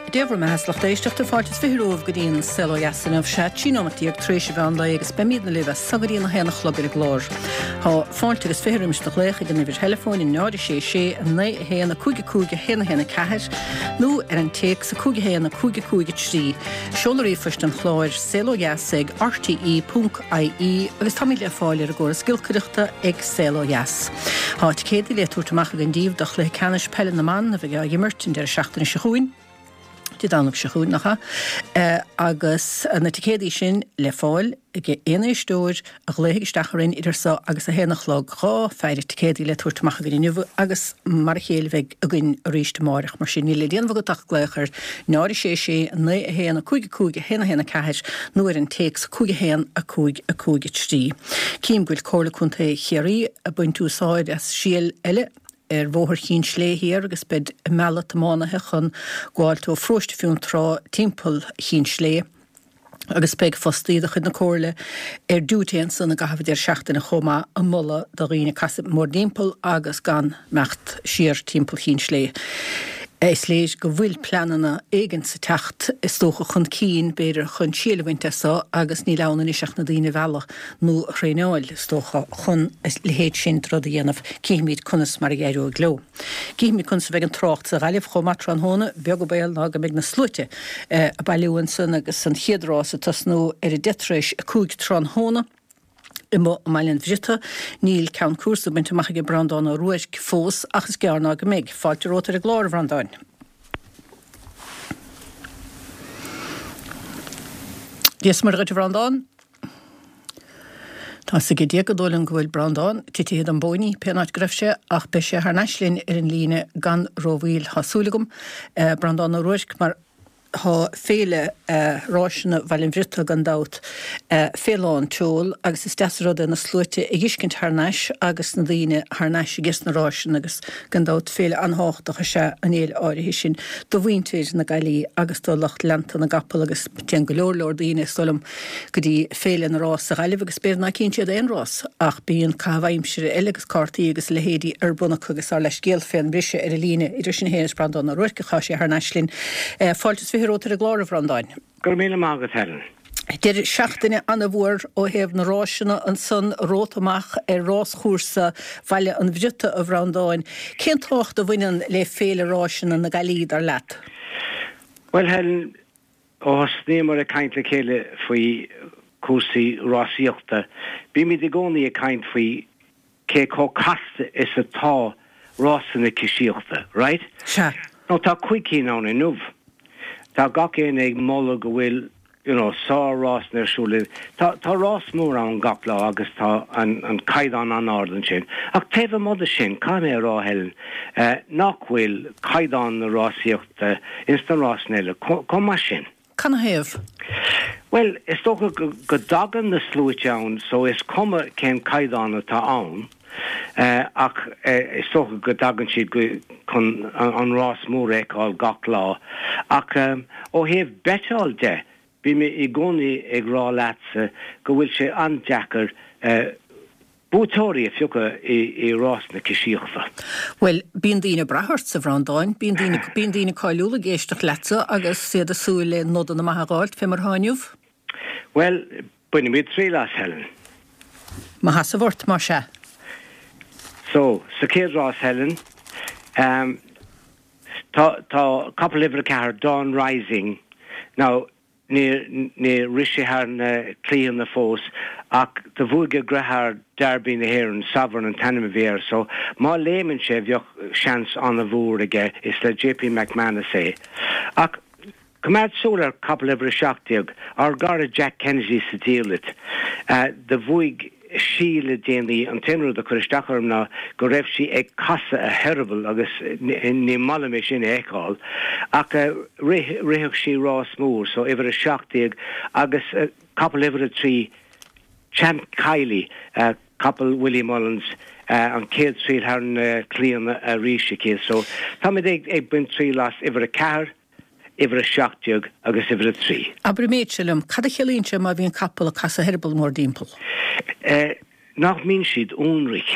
Dé bhur mbeatha 's lucht éisteachta, fáilte is 20 romhaibh go dtí an Saol Ó Dheas inniu. Sea, 13 nóimeat tar éis an mheán lae agus beimídne libh as so go dtí an 1 a chlog ar an gclár. Tá fáilte agus 20 roimis do ghlaoch ag an uimhir theileafóin 0 6 6 9 1 5 5 1 1 4 nó ar an téacs 5 1 5 5 3. Seoladh ríomhphoist an chláir, saolodheas ag rte ponc ie agus táimid le fáil ar an gcóras giolcaireachta ag Saol Ó Dheas. Tá ticéadaí le tabhairt amach againn daoibh do chluiche ceannais peile na mban a bheidh á imirt an deireadh seachtaine seo chugainn, Dé Domhnaigh seo chugainn, nach ea? Agus na ticéadaí sin le fáil ag aon éisteoir a ghlaofaidh isteach orainn idir so agus a haon a chlog. 2 pheidhre ticéadaí le tabhairt amach againn inniu agus mar a chéile bheidh againn arís amáireach. Mar sin níl le déanamh agat ach glaoch ar 0 6 6 9 1 5 5 1 1 4 nó ar an téacs 5 1 5 5 3. Cím go bhfuil Comhairle Contae Chiarraí ag baint úsáid as síol eile ar Bhóthar Chinn Slé Thiar agus beid ag mealladh tiománaithe chun gabháilt ó Pharóiste Fionntrá timpeall Chinn Slé. agus beidh fostaí de chuid na Comhairle ar diúité ansan i gcaitheamh an deireadh seachtaine chomh maith ag moladh do dhaoine casadh mórdtimpeall agus gan imeacht siar timpeall Chinn Slé. Is léir go bhfuil pleananna éigint ag teacht is dócha chun cinn b'fhéidir chun síol a bhaint as so agus níl ann anois ach na daoine a mhealladh nó a thraenáil is dócha chun a leithéid sin de rud a dhéanamh. Cífimid conas mar a éireoidh leo. Cífimid conas a bheidh an trácht sa Ghaillimh chomh maith tráthnóna, beag an baol ná go mbeidh na sluaite ag bailiú ansan agus an chéad rás ag tosnú ar a 5:10 tráthnóna amuigh i mBaile an Bhriotaigh. Níl ceann cúrsa bainte amach ag Breandán Ó Ruairc fós ach is gearr ná go mbeidh. Fáilte romhat ar an gclár, a Bhreandáin. Dia is Muire dhuit, a Bhreandáin. Tá 's ag Dia gur dóigh liom go bhfuil Breandán titithe den bpóiní, pén áit go raibh sé, ach beidh sé thar n-ais linn ar an líne gan rómhoill, tá súil agam. Breandán Ó Ruairc, mar tá féile ráiseanna Bhaile an Bhriotaigh gan dabht fé lán tseol agus is deas an rud é na sluaite a dh'fheiscint thar n-ais agus na daoine thar n-ais ages na ráiseanna agus gan dabht féile an-thábhachtach is ea an fhéile áirithe sin do mhuintir na Gaillimhe agus do lucht leanta na gcapall agus Téann go leor leor daoine, is dóigh liom, go dtí Féile na Rás sa Ghaillimh agus b'fhéidir ná cíonn siad aon rás ach bíonn caitheamh aimsire eile agus cártaí agus a leithéidí ar bun acu agus ár leithscéal fén mbriseadh ar an líne idir sinn féin is Breandán Ó Ruairc ach tá sé thar n-ais linn. Fáilte is 20 romhat ar an gclár, a Bhreandáin. Go raibh míle maith agat, Helen. Deireadh seachtaine an-mhór ó thaobh na ráiseanna ansan romhat amach ar ráschúrsa Bhaile an Bhriotaigh, a Bhreandáin. Cén tábhacht a bhaineann le Féile Ráiseanna na Gaillimhe, dar leat? Bhuel, Helen, Ó thosnaíomar ag caint le chéile faoi chúrsaí rásaíochta, bímid i gcónaí ag caint faoi cé chomh casta is atá rásanna cisíochta, right? Sea. Now tá cuig cinn ann inniu. Tá gach éinne ag moladh go bhfuil, you know, sár-rásanna ar siúl. Tá, tá rás mór ann gach lá agus tá an, an caighdeán an-ard ansin. Ach taobh amuigh de sin, caithfidh mé a rá, Helen, eh, nach bhfuil caighdeán na rásaíochta, ins na rásanna eile chomh maith sin. Canathaobh? Bhuel, is dócha go dtagann na sluaite ann so is cuma cén caighdeán atá ann ach is dócha go dtagann siad chun an rás mór a fheiceáil gach lá. Ach ó thaobh beiteáil de, bím i gcónaí ag rá leatsa go bhfuil sé an-deacair Buaiteoirí a phiocadh i rás na cisíochta. Bhuel, bíonn daoine ag brath ortsa, a Bhreandáin. Bíonn daoine, bíonn daoine cáiliúla ag éisteacht leatsa agus iad ag súil le nodanna maithe a dh'fháilt, fé mar atá inniu. Bhuel, bainfimid triail as, Helen. Mo sheasamh ort, más ea. So, sa chéad rás, Helen, ehm, tá, tá capall uimhir a ceathair, Dawn Rising. Now, Níor rith sé thar na claítheanna fós ach do bhuaigh a dheartháir Derby na hÉireann, Sovereign an t-ainm a bhí air, so má léimeann sé bheadh seans an-mhór aige, is le JP McManus é. Ach coimeád súil ar capall uimhir 17, ár gcara Jack Kennedy sa diallait. Do bhuaigh sí le déanaí, an t-aon rud a chuir isteach orm ná go raibh sí ag casadh a heireaball agus ní maith liom é sin a fheiceáil. Ach rith, rithfeadh sí rás mór, so uimhir 17 agus capall uimhir 3, Champ Kiely, capall Willie Mullins, an chéad triail thar na claíonna arís aici. So táimid ag baint triail as uimhir 4, uimhir 17 agus uimhir 3. Abair an méid seo liom, cad a chiallaíonn sé má bhíonn capall ag casadh a heireaball mórdtimpeall? Nach mbíonn siad ionraic?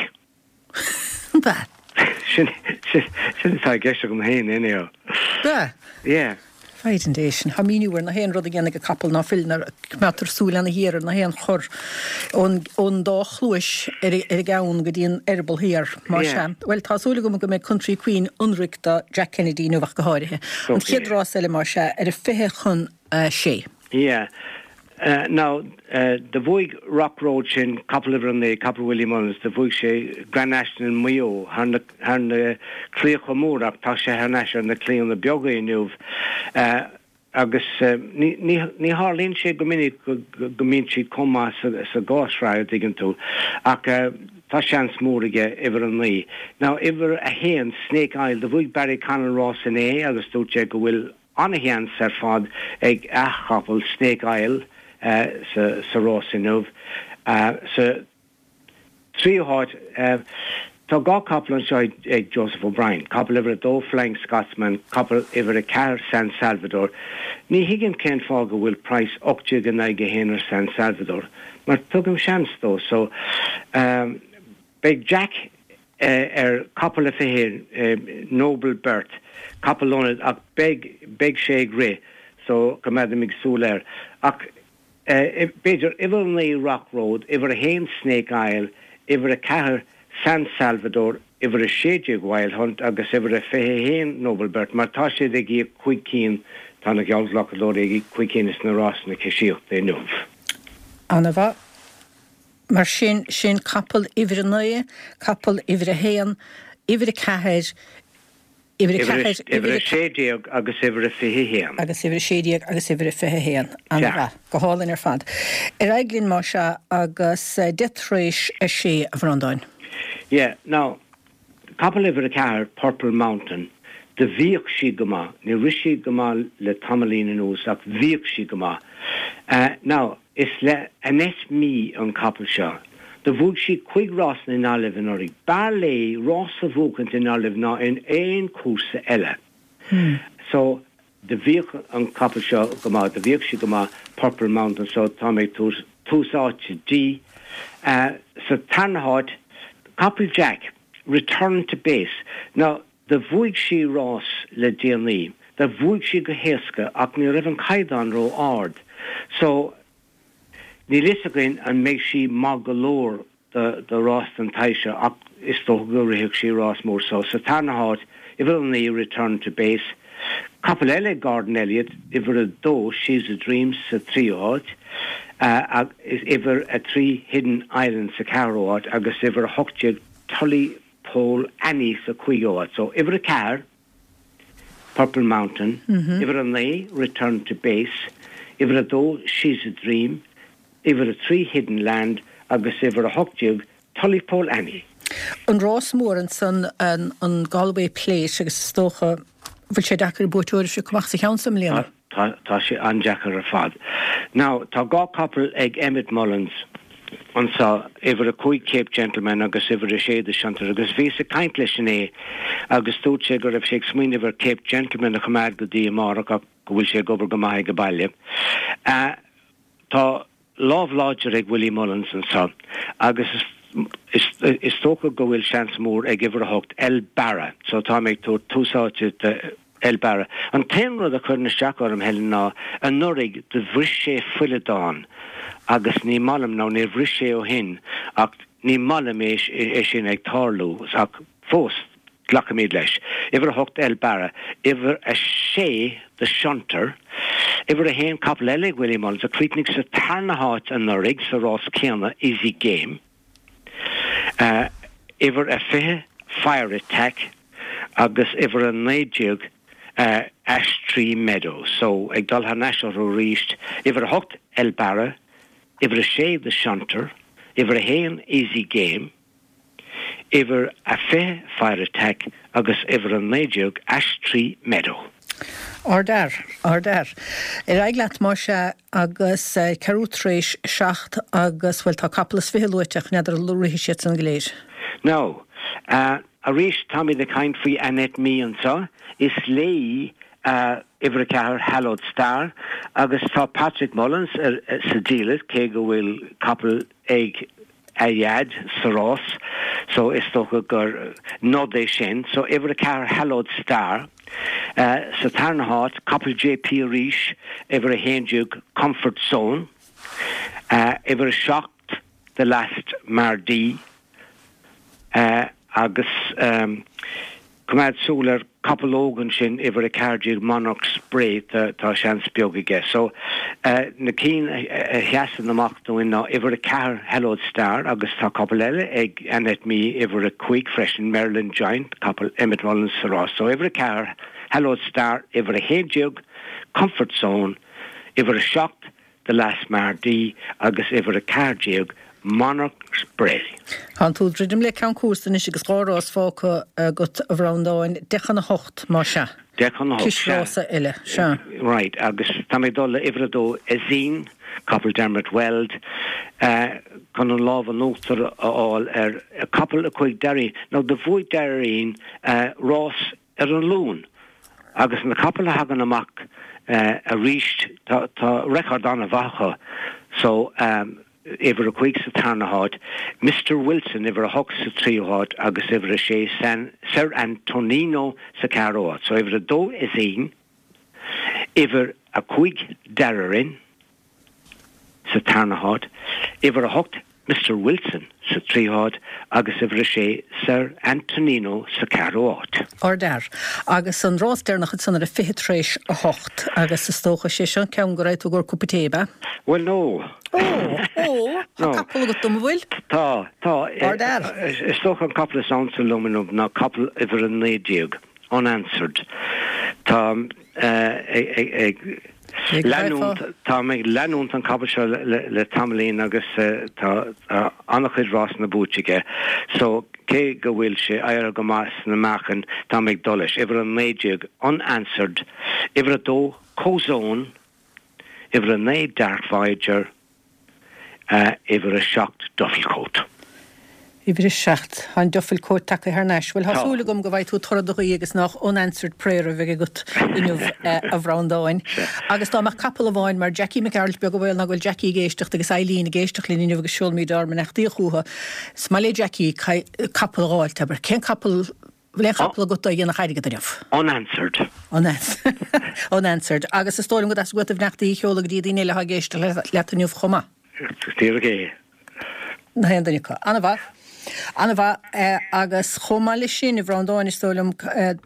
Ab ea? Sin, sin, sin atá i gceist agam féin, anyhow. Ab ea? Yeah. Foighid Dé sin. Tá míniú ar na haon rud a dhéanfaidh an capall ná fuil nuair a coimeádtar súil ana ghéar ar na haon chor ón ón dá chluais ar ar an gceann go dtí an eireaball thiar. Más ea. Bhuel, tá súil agam go mbeidh Country Queen ionraic do Jack Kennedy inniu ach go háirithe. An chéad rás eile más ea ar a 5:40. Yeah. Now, do bhuaigh Rock Road sin capall uimhir 9, capall Willie Mullins, do bhuaigh sé Grand National i Maigh Eo thar na, thar na claíocha móra ach tá sé thar n-ais ar na claíonna beaga inniu. Agus ní, ní, ní tharlaíonn sé go minic go, go mbíonn siad chomh maith sa, sa dhá shraith, a dtuigeann tú. Ach tá seans mór aige, uimhir 9. Now, uimhir 1, Snake Isle, do bhuaigh Barry Connell rás inné agus dúirt sé go bhfuil An-sheans ar fad ag a chapall Snake Isle sa rás inniu. Sa tríú háit tá dhá chapall anseo ag Joseph O'Brien, capall uimhir 2 Flying Scotsman, capall uimhir 4 San Salvador. Ní thuigim cén fáth go bhfuil praghas 18 in aghaidh 1 ar San Salvador mar tugaim seans dó so beidh Jack ar capall a 21 Noble Birth, capall ionaid ach beidh, beidh sé ag rith so coimeádaimid súil air. Ach b'fhéidir uimhir 9 Rock Road, uimhir 1 Snake Isle, uimhir 4 San Salvador, uimhir 16 Wild Hunt agus uimhir 21 Noble Birth mar tá siad ag íoc cúig cinn, tá na geallghlacadóirí ag íoc cúig cinn sna rásanna coisíochta inniu. Ana-mhaith. Mar sin, sin capall uimhir 9, capall uimhir 1, uimhir 4, uimhir 4, uimhir 16 agus uimhir 21. Agus uimhir 16 agus uimhir 21. An-mhaith. Go hálainn ar fad. Ar aghaidh linn más ea agus deich tar éis a sé, a Bhreandáin. Yeah, now, capall uimhir 4, Purple Mountain, do bhíodh sí go maith. Níor rith sí go maith le tamaillín anuas ach bhíodh sí go maith. Now, Is le Annette Mee an capall seo. Do bhuaigh sí cuig rás i nGaillimh anuraidh. B'fhearr léi rás a bhuachaint i nGaillimh ná in aon chúrsa eile. So, do bhíodh an capall seo go maith, do bhíodh sí go maith, Purple Mountain, so tá mé ag tabhairt tús áite di. Sa tarna háit, capall Jack, Return to Base. Now, Do bhuaigh sí rás le déanaí. Do bhuaigh sí go héasca ach ní raibh an caighdeán ró ard. So, níl fhios againn an mbeidh sí maith go leor do do rás den tsaghas seo ach is dócha go rithfeadh sí rás mór. So, sa tarna háit, uimhir 9, Return to Base. Capall eile ag Gordon Elliott, uimhir 2, She's a Dream sa tríú háit, agus uimhir 3, Hidden Island sa ceathrú háit agus uimhir 18, Tully Pole Annie sa cúigiú háit. So, uimhir 4, Purple Mountain, uimhir 9, Return to Base, uimhir 2, She's a Dream, uimhir 3, Hidden Land agus uimhir 18, Tullypole Annie. An rás mór ansan, an Galway Plate agus is dócha, bhfuil sé deacair buaiteoir a phiocadh amach sa cheann so i mbliana? Tá, tá sé an-deacair ar fad. Now, tá dhá capall ag Emmet Mullins anso, uimhir 5 Cape Gentleman agus uimhir 6 The Shunter agus bhíos ag caint leis inné agus dúirt sé go raibh sé ag smaoineamh ar Cape Gentleman a choimeád go dtí amárach ach go bhfuil sé ag obair go maith ag baile. Tá lámh láidir ag Willie Mullins anso agus is dócha go bhfuil seans mór ag uimhir 8, El Barra. So tá mé ag tabhairt tús áite do El Barra. An t-aon rud a chuireann isteach orm, Helen, ná anuraidh do bhris sé fuileadán agus ní maith liom, nó níor bhris sé ó shin ach ní maith liom é sin ag tarlú ach fós, Glacfaimid leis. Uimhir 8 El Barra. Uimhir 6 The Shunter. Uimhir 1 capall eile ag Willie Mullins a chríochnaigh sa tarna háit anuraidh sa rás céanna, Easy Game. Uimhir 20 Fire Attack agus uimhir 19 Ash Tree Meadow. So, ag dul thar n-ais orthu arís, uimhir 8 El Barra, uimhir 6 The Shunter, uimhir 1 Easy Game, uimhir a 20 Fire Attack agus uimhir 19 Ash Tree Meadow. Ardfhear, ardfhear. Ar aghaidh leat más ea agus ceathrú tar éis a seacht agus, bhuel, tá capall is fiche luaite ach n'fheadar an rithfidh siad san go léir. Now, arís táimid ag caint faoi Annette Mee anseo. Is léi uimhir a ceathair, Hallowed Star, agus tá Patrick Mullins sa diallait cé go bhfuil capall ag a dhaid sa rás so is dócha gur nod é sin. So uimhir a ceathair Hallowed Star. Sa tarna háit, capall JP arís, uimhir 11 Comfort Zone, uimhir 7 The Last Mardi, agus coimeád súil ar capall óg ansin, uimhir 14 Monarch's Spray, tá seans beag aige. So, na cinn a sheasann amach dúinn ná uimhir 4 Hallowed Star agus tá capall eile ag Annette Mee, uimhir 5 freisin, Maryland Giant, capall Emmet Mullins sa rás. So, uimhir 4 Hallowed Star, uimhir 11 Comfort Zone, uimhir 7 The Last Mardi agus uimhir 14, Monarch's Bray. Tá tú ag druidim le ceann cúrsa anois agus 2 rás fágtha agat a Bhreandáin, 10 chun 8 más ea. 10 chun 8, sea. Cisrása eile, sea. Right, agus tá mé ag dul le uimhir 2, Ezine, capall Dermot Weld, chun an lámh in uachtar a fháil ar capall 5 Darien. Now do bhuaigh Darien rás ar an Luan agus na capaill a thagann amach arís tá record an-mhaith acu so uimhir 5 sa tarna háit, Mister Wilson uimhir 8 sa tríú háit agus uimhir 6 Sir Antonino sa ceathrú háit. So uimhir 2 Ezine, uimhir 5 Darien sa tarna háit, uimhir 8 Mister Wilson sa tríú háit agus uimhir 6 Sir Antonino sa ceathrú háit. Ardfhear. Agus an rás deireanach ansan ar a 20 tar éis a hocht agus is dócha sé seo an ceann go raghaidh tú i gcomhair cupa tae, ab ea? Bhuel, no. Ó! Ó! Tá capall agat dom, an bhfuil? Tá, tá. Ardfhear. Is dócha an capall is ansa liom inniu ná capall uimhir 19, Unanswered. Tá ag leanúint, táim ag leanúint an capall seo le tamaillín agus tá an-chuid rásanna buaite aige so cé go bhfuil sé éirithe go maith sna meáchain, táim ag dul leis. Uimhir 19, Unanswered, uimhir 2, Kozone, uimhir 9, Dark Voyager, Uimhir 7, Dufflecoat. Uimhir 7. Tá an Dufflecoat tagtha thar n-ais. Bhuel, tá súil agam go bhfaighidh tú toradh do ghuí agus nách unanswered prayer a bheidh agat inniu, a Bhreandáin. Agus dá mbeadh capall amháin mar Jackie Mac Gearailt, beag an baol ná go bhfuil Jackie ag éisteacht agus Eileen ag éisteacht linn inniu agus seolfaimid ár mbeannachtaí chucu. Is maith le Jackie capall a dh'fháilt, abair. Cén capall Bhfuil aon chapall agat a dhéanfadh airgead inniu? Unanswered. Unanswered. Agus is dóigh liom go dteastaigh uait do bheannachtaí a sheoladh go dtí daoine eile atá ag éisteacht leat inniu chomh maith. Díreach é. Na haon duine acu. An-mhaith. An-mhaith. Agus chomh maith leis sin, a Bhreandáin, is dóigh liom,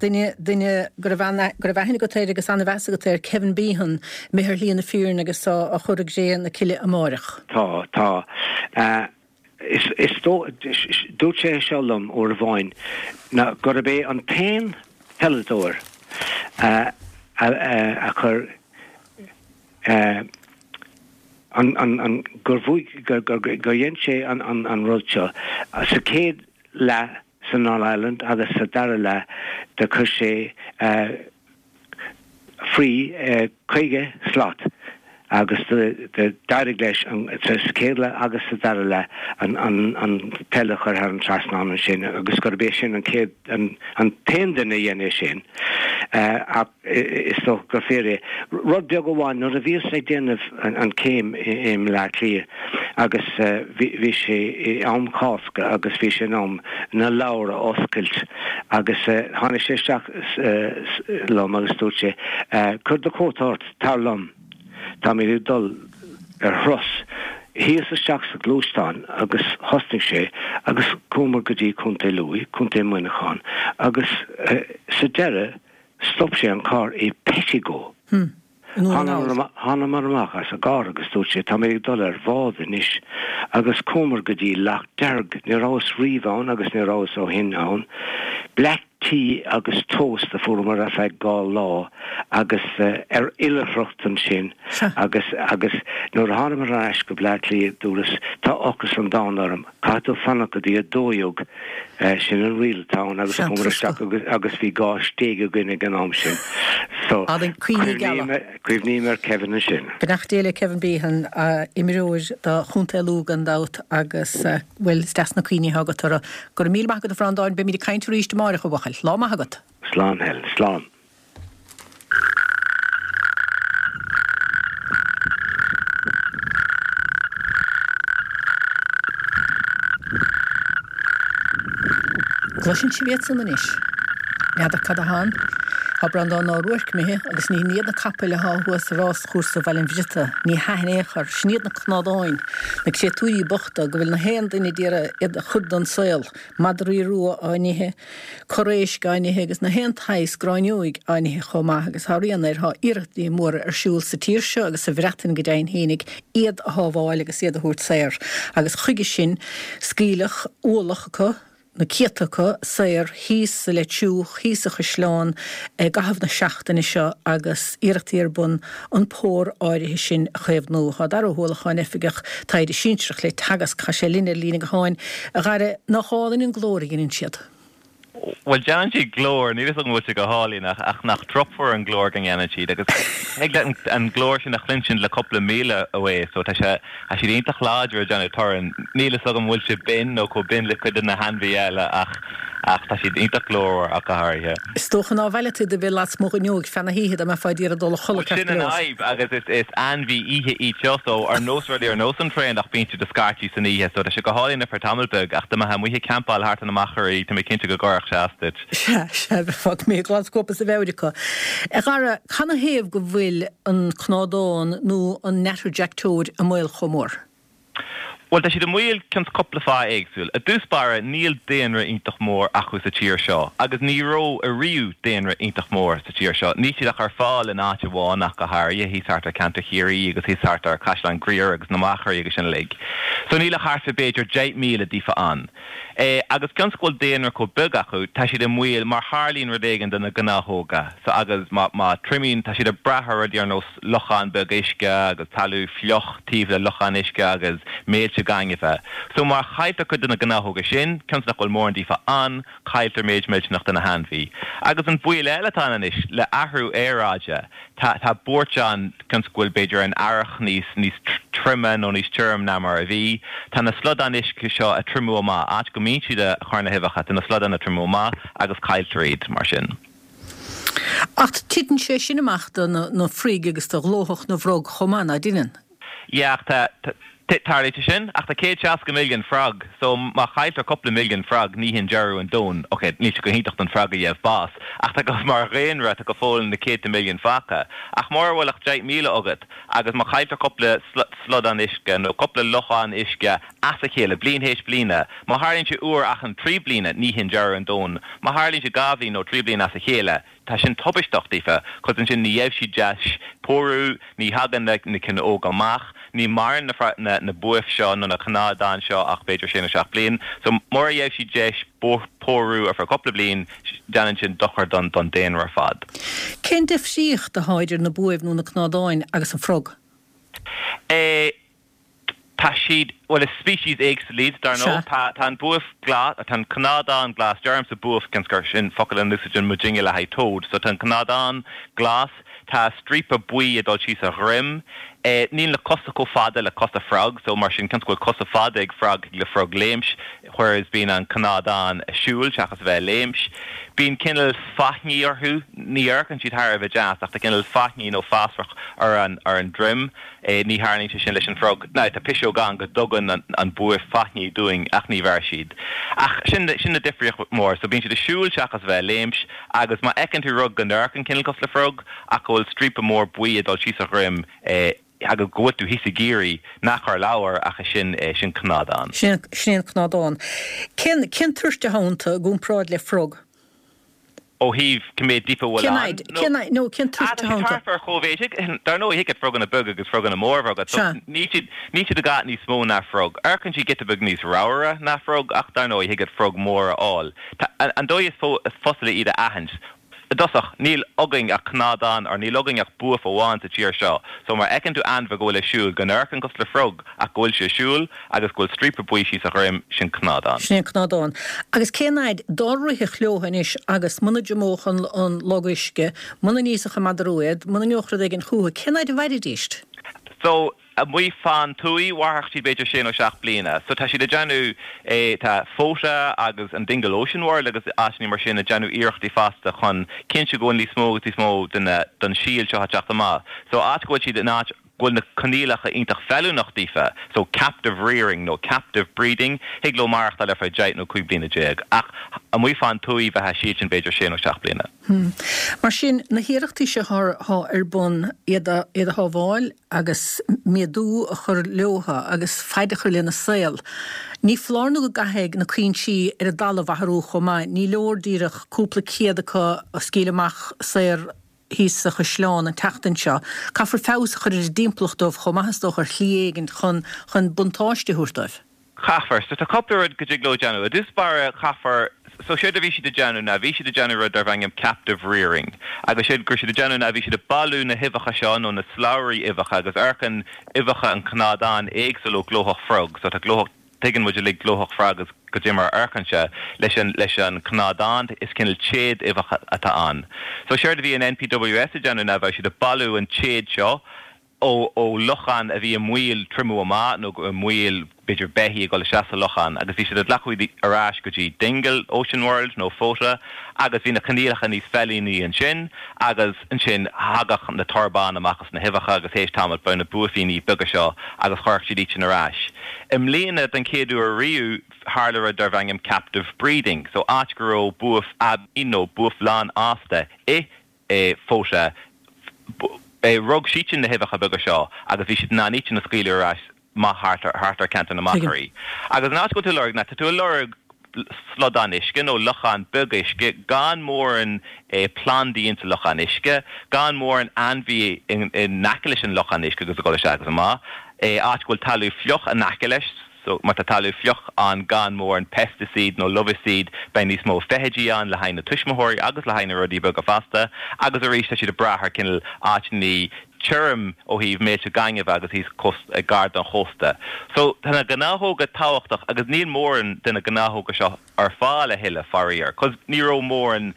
duine, duine go raibh, go raibh aithne agat air agus an-mheas agat air, Kevin Behan, imithe ar shlí na fírinne agus á chur i gcré na cille amáireach. Tá, tá. Is dóigh, dúirt sé seo liom uair amháin, ná gurb é an t-aon pheileadóir a chuir an, an, gur bhuaigh, gur, gur, gur dhein sé an, an, an rud seo sa chéad leath san All Ireland agus sa dara leath do chuir sé faoi 50 slat agus d'éirigh leis sa chéad leath agus sa dara leath an peil a chur thar an trasnán ansin agus gurb é sin an chéad an t-aon duine a dhein é sin ach is dócha gur fíor é. Rud beag amháin, nuair a bhíos ag déanamh an céim i mBleá Cliath agus bhí sé i am Cásca agus bhí sé in am na leabhar a oscailt agus tháinig sé isteach liom agus dúirt sé, Cuir do chóta ort, tar liom, táimid ag dul ar thuras. Thíos isteach sa ghluaisteán agus thosnaigh sé agus chuamar go dtí Contae Lú, Contae Muineacháin agus sa deireadh stop sé an carr i Pettigo. Thánamar amach as an gcarr agus dúirt sé, Tá mé ag dul ar bhád anois. Agus chuamar go dtí Loch Dearg. Ní rabhas riamh ann agus ní rabhas ó shin ann. Black tea agus toast a fuaireamar ar feadh dhá lá agus ar oilithreacht ansin agus agus nuair a thánamar ar ais go Bleá Cliath dúras, Tá ocras an domhain orm. Caithfidh tú fanacht go dtí a dódhéag, sin an riail atá ann agus chuamar isteach agus bhí dhá stéig againn ag an am sin. So, cuimhním ar Kevin ansin. Beannacht Dé le Kevin Behan, imreoir do Chontae Lú gan dabht agus, bhuel, is deas na cuimhní atá agat orthu. Go raibh míle maith agat a Bhreandáin, beimid ag caint arís amáireach a bhuachaill. Lá maith agat. Slán Helen, slán. Gcloiseann sibh iad san anois? N'fheadar cad atá ann? Thá Breandán Ó Ruairc imithe agus ní hin iad na capaill athá thuas i ráschúrsa Bhaile an Bhriotaigh, ní hea in aon chor, sin iad na cnádáin, na créatúirí bochta go bhfuil na haon duine d'iarraidh iad a chur den saol, madraí rua á n-ithe, corr-éisc á n-ithe agus na haon tsaghas gráinneoig á n-ithe chomh maith agus thá rian air, thá iarrachtaí móra ar siúl sa tír seo agus sa Bhreatain go deimhin fhéinig iad a shábháil agus iad a thabhairt saor agus chuige sin scaoileadh ualach acu, na céadta acu, saor thíos sa Leitriúch, thíos sa Chaisleán i gcaitheamh na seachtaine seo agus iarrachtaí ar bun an pór áirithe sin a chaomhnú. Thá Dara Ó hUallacháin, Oifigeach Taighde Sinsearach le Teagasc, thá sé linn ar líne gutháin. A Dhara, nach álainn an glór a dheineann siad? Bhuel, déanann siad glór, níl fhios agam an bhfuil sé go hálainn ach ach nach truacmhar an glór go ndéanann siad agus thig leat an glór sin a chluinstin le cúpla míle away so tá sé, tá siad iontach láidir ag déanamh torann. Níl fhios agam an bhfuil sé binn nó chomh binn le cuid de na hainmhithe eile ach ach tá siad iontach glórmhar ach go háirithe. Is dócha ná bhfaileadh tú do bheith lasmuigh d'fhuinneoig feadh na hoíche dá mbeifeá ag iarraidh dul a chodladh ceart go leor. Sin an fhadhb agus is is ainmhí oíche iad seo so ar nós rudaí ar nós an traonach bíonn siad ag scairtigh san oíche so tá sé go hálainn ar feadh tamall beag ach dá mbeifeá amuigh ag campáil thart ar na machairí tá mé cinnte go gcuirfeadh sé as duit. Sea, sea, bheifeá imithe glan scuabtha as do mheabhair acu. A Dhara, canathaobh go bhfuil an cnádán nó an natterjack toad i mbaol chomh mór? Bhuel, tá siad i mbaol cionn 's cúpla fáth éagsúil. I dtús báire, níl daonra iontach mór acu sa tír seo, agus ní raibh ariamh daonra iontach mór sa tír seo. Níl siad ach ar fáil in áit amháin ach go háirithe, thíos thart ar ceantar Chiarraí agus thíos thart ar Caisleán Ghriaire agus na Machairí agus sin uilig. So níl ach thart fá b'fhéidir 10,000 díofa ann. Eh, agus cionn 's go bhfuil daonra chomh beag acu, tá siad i mbaol má tharlaíonn rud éigin do na gnáthóga. So agus má, má triomaíonn, tá siad ag brath ar rudaí ar nós lochán beag uisce agus talamh fliuch taobh le lochán uisce agus méilte gainimhe. So má chailltear cuid de na gnáthóga sin, cionn 's nach bhfuil mórán díofa ann, cailltear méid millteanach de na hainmhí. Agus an baol eile atá ann anois, le athrú aeráide, tá tá buairt ann cionn 's go bhfuil b'fhéidir an earrach níos níos troime nó níos tirim ná mar a bhí. Tá na slodáin uisce seo ag triomú amach, áit go mbíonn siad ag cur na huibheacha, tá na slodáin ag triomú amach agus cailltear iad mar sin. Ach titeann sé sin amach do na froig agus do ghlóthach na bhfrog chomh maith, ná deineann? Yeah, ach tá, tarlaíonn sé sin, ach tá 160 milliún frog, so má chailltear cúpla milliún frog, ní hin deireadh an domhain. Ok, níl sé go hiontach don frog a gheibh bás, ach tá go, mar dhaonra, tá go fóill na céadta milliún fágtha. Ach mura bhfuil ach 10,000 agat, agus má chailltear cúpla slodán uisce, nó cúpla lochán uisce, as a chéile, bliain théis bliana. Má tharlaíonn sé uair achan trí bliana, ní hin deireadh an domhain. Má tharlaíonn sé dhá bhliain nó trí bliana as a chéile, tá sin tubaisteach daofa, 'cause ansin ní gheibh siad deis pórú, ní thagann na na cinn óga amach, ní maireann na na na buaibh seo nó na cnádáin seo ach b'fhéidir sé nó seacht bliain. So mura gheibh siad deis pórú ar feadh cúpla bliain, déanann sin dochar don don daonra ar fad. Cén difríocht atá idir na buaibh nó na cnádáin agus an frog? Eh. Tá siad, bhuel is species éagsúil iad, dar ndóigh. Tá, tá an buaf glas, tá an cnádán glas, deirimse buaf cionn 's gur sin focal a n-úsáideann muidinne le haghaidh toad. So tá an cnádán glas, tá stríopa buí ag dul síos a dhroim. Eh, níl na cosa chomh fada le cosa frog, so mar sin cionn 's go bhfuil cosa fada ag frog, thig le frog léimt, whereas bíonn an cnádán ag siúl seachas a bheith ag léimt. Bíonn cineál faithní orthu, ní amharcann siad thar a bheith deas ach tá cineál faithní nó fasach ar an, ar an droim. Ní tharlaíonn sé sin leis an frog. Now, tá piseog ann go dtugann an buaf faithní dúinn ach ní bheir siad. Ach sin, sin na difríocht mór. So bíonn siad ag siúl seachas a bheith ag léimt agus má fheiceann tú rud go n-amharcann cineál cosúil le frog ach go bhfuil stríopa mór buí ag dul síos a dhroim agus go bhfuil tú thíos i gCiarraí, ná cuir ladhar ach sin, sin cnádán. Sin, sin é an cnádán. Cén, cén toirt atá iontu i gcomparáid le frog? Ó thaobh cé mhéad díofa a bhfuil Cén fhaid? ann? Cén fhaid? No, cén toirt atá iontu? Tá siad thart ar chomh-mhéid. Dar ndóigh, thig leat froganna beaga agus froganna móra a bheith agat. So, Sea. níl siad, níl siad a dhath níos mó ná frog. Amharcann siad giota beag níos ramhaire ná frog, ach dar ndóigh, thig leat frog mór a fháil. Tá, an dóigh is fo, is fusa le iad a aithint, i dtosach, níl againn ach cnádán, or níl againn ach buaf amháin sa tír seo. So, má fheiceann tú ainmhí go bhfuil ag siúl, go n-amharcann cosúil le frog, ach go bhfuil sé ag siúl, agus go bhfuil stríopa buí síos a dhroim, sin cnádán. Sin é an cnádán. Agus cén fhaid dá rithfeadh leo anois agus muna dtriomódh an an log uisce, muna n-íosfadh an madra rua iad, muna ngeobhadh rud éigin chúthu, cén fhaid a mhairfidíst? So, amuigh fán tuaith, mhairfeadh siad b'fhéidir sé nó seacht bliana. So, tá siad ag déanamh, eh, tá Fota agus an Dingle Ocean World agus áiteanna mar sin ag déanamh iarrachtaí fosta chun cinntiú go bhfuil níos mó agus níos mó de na, den síol seo ag teacht amach. So, áit go bhfuil siad in áit. go bhfuil na coinníollacha iontach feiliúnach daofa, so captive rearing nó captive breeding, thig leo maireachtáil ar feadh 10 nó 15 bliana, ach amuigh fán tuaith bheadh siadsin b'fhéidir sé nó seacht bliana. Mar sin, na hiarrachtaí seo atá ar bun iad a shábháil agus méadú a chur leotha agus faid a chur lena saol, ní foláir nó go gcaithfidh na cuinsí ar an dtalamh athrú chomh maith. Ní leor díreach cúpla céad acu a scaoileadh amach saor thíos sa chaisleán an tseachtain seo. Caithfear feabhas a chur ar an dtimpeallacht dóibh chomh maith is dócha ar shlí éigin chun chun buntáiste a thabhairt dóibh. Caithfear. So tá cúpla rud go dtig leo déanamh. I dtús báire caithfear, so séard a bhí siad ag déanamh ná bhí siad ag déanamh rud darbh ainm captive rearing agus séard go raibh siad ag déanamh ná bhí siad ag bailiú na huibheacha seo nó na slabhraí uibheacha agus amharcann uibheacha an cnádán éagsúil ó glóthach frog so tá glóthach Tuigeann muid uilig glóthach frog agus goidé mar a amharcann sé leis an leis an cnádán is cineál téad uibheacha atá ann. So séard a bhí an NPWS ag déanamh ná bheadh siad ag bailiú an téad seo ó ó lochán a bhí i mbaol triomú amach nó i mbaol b'fhéidir beithígh ag dul isteach sa lochán agus bhí siad ag glacadh iad ar ais go dtí Dingle Ocean World nó Fota agus bhí na coinníollacha níos feiliúnaí ansin agus ansin thagadh na torbáin amach as na huibheacha agus théis tamaill bheadh na buaifíní beaga seo agus chuirfeadh siad iad sin ar ais. I mbliana, den chéad uair riamh, tharla rud darbh ainm captive breeding, so áit go raibh buaif aibí nó buaif lánfhásta i Fota, rug siadsan na huibheacha beaga seo agus bhí siad in ann iad sin a scaoileadh ar ais amach thart ar thart ar ceantar na Machairí. Agus an áit go bhfuil tú ag lorg ná tá tú ag lorg slodán uisce nó lochán beag uisce gan mórán plandaí insa lochán uisce, gan mórán ainmhí in aice leis an lochán uisce agus ag dul isteach agus amach, áit go bhfuil talamh fliuch in aice leis, so má tá talamh fliuch ann gan mórán pesticide nó larvicide beidh níos mó feithidí ann le haghaidh na tuismitheoirí agus le haghaidh na rudaí beaga fosta agus arís tá siad ag brath ar cineál áiteanna tirim ó thaobh méilte gainimhe agus thíos gar don chósta. So tá na gnáthóga tábhachtach agus níl mórán de na gnáthóga seo ar fáil a thuilleadh, faraor, cos ní raibh mórán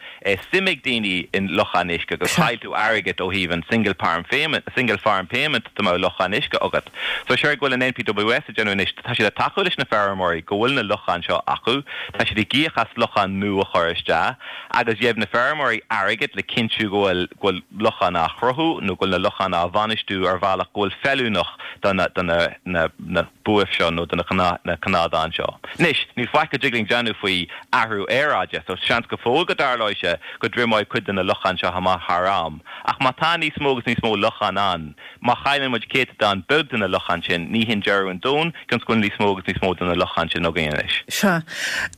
suim ag daoine in locháin uisce agus chaill tú airgead ó thaobh an single farm payment, single farm payment dá mbeadh lochán uisce agat. So séard go bhfuil an NPWS ag déanamh anois, tá siad ag tacú leis na feirmeoirí go bhfuil na locháin seo acu, tá siad ag íoc as locháin nua a chur isteach agus gheibh na feirmeoirí airgead le cinntiú go bhfuil go bhfuil locháin á chruthú nó go bhfuil na locháin á bhainistiú ar bhealach go bhfuil feiliúnach do na do na na na buaibh seo nó do na na cnádáin seo. Anois, níl faic go dtig linn déanamh faoi athrú aeráide, so seans go fóill go dtarlóidh sé go dtriomóidh cuid de na locháin seo amach thar am. Ach má tá níos mó agus níos mó lochán ann, má chailleann muid céatadán beag de na locháin sin, ní hin deireadh an domhain, cionn is go bhfuil níos mó agus níos mó de na locháin sin againn anois. Sea.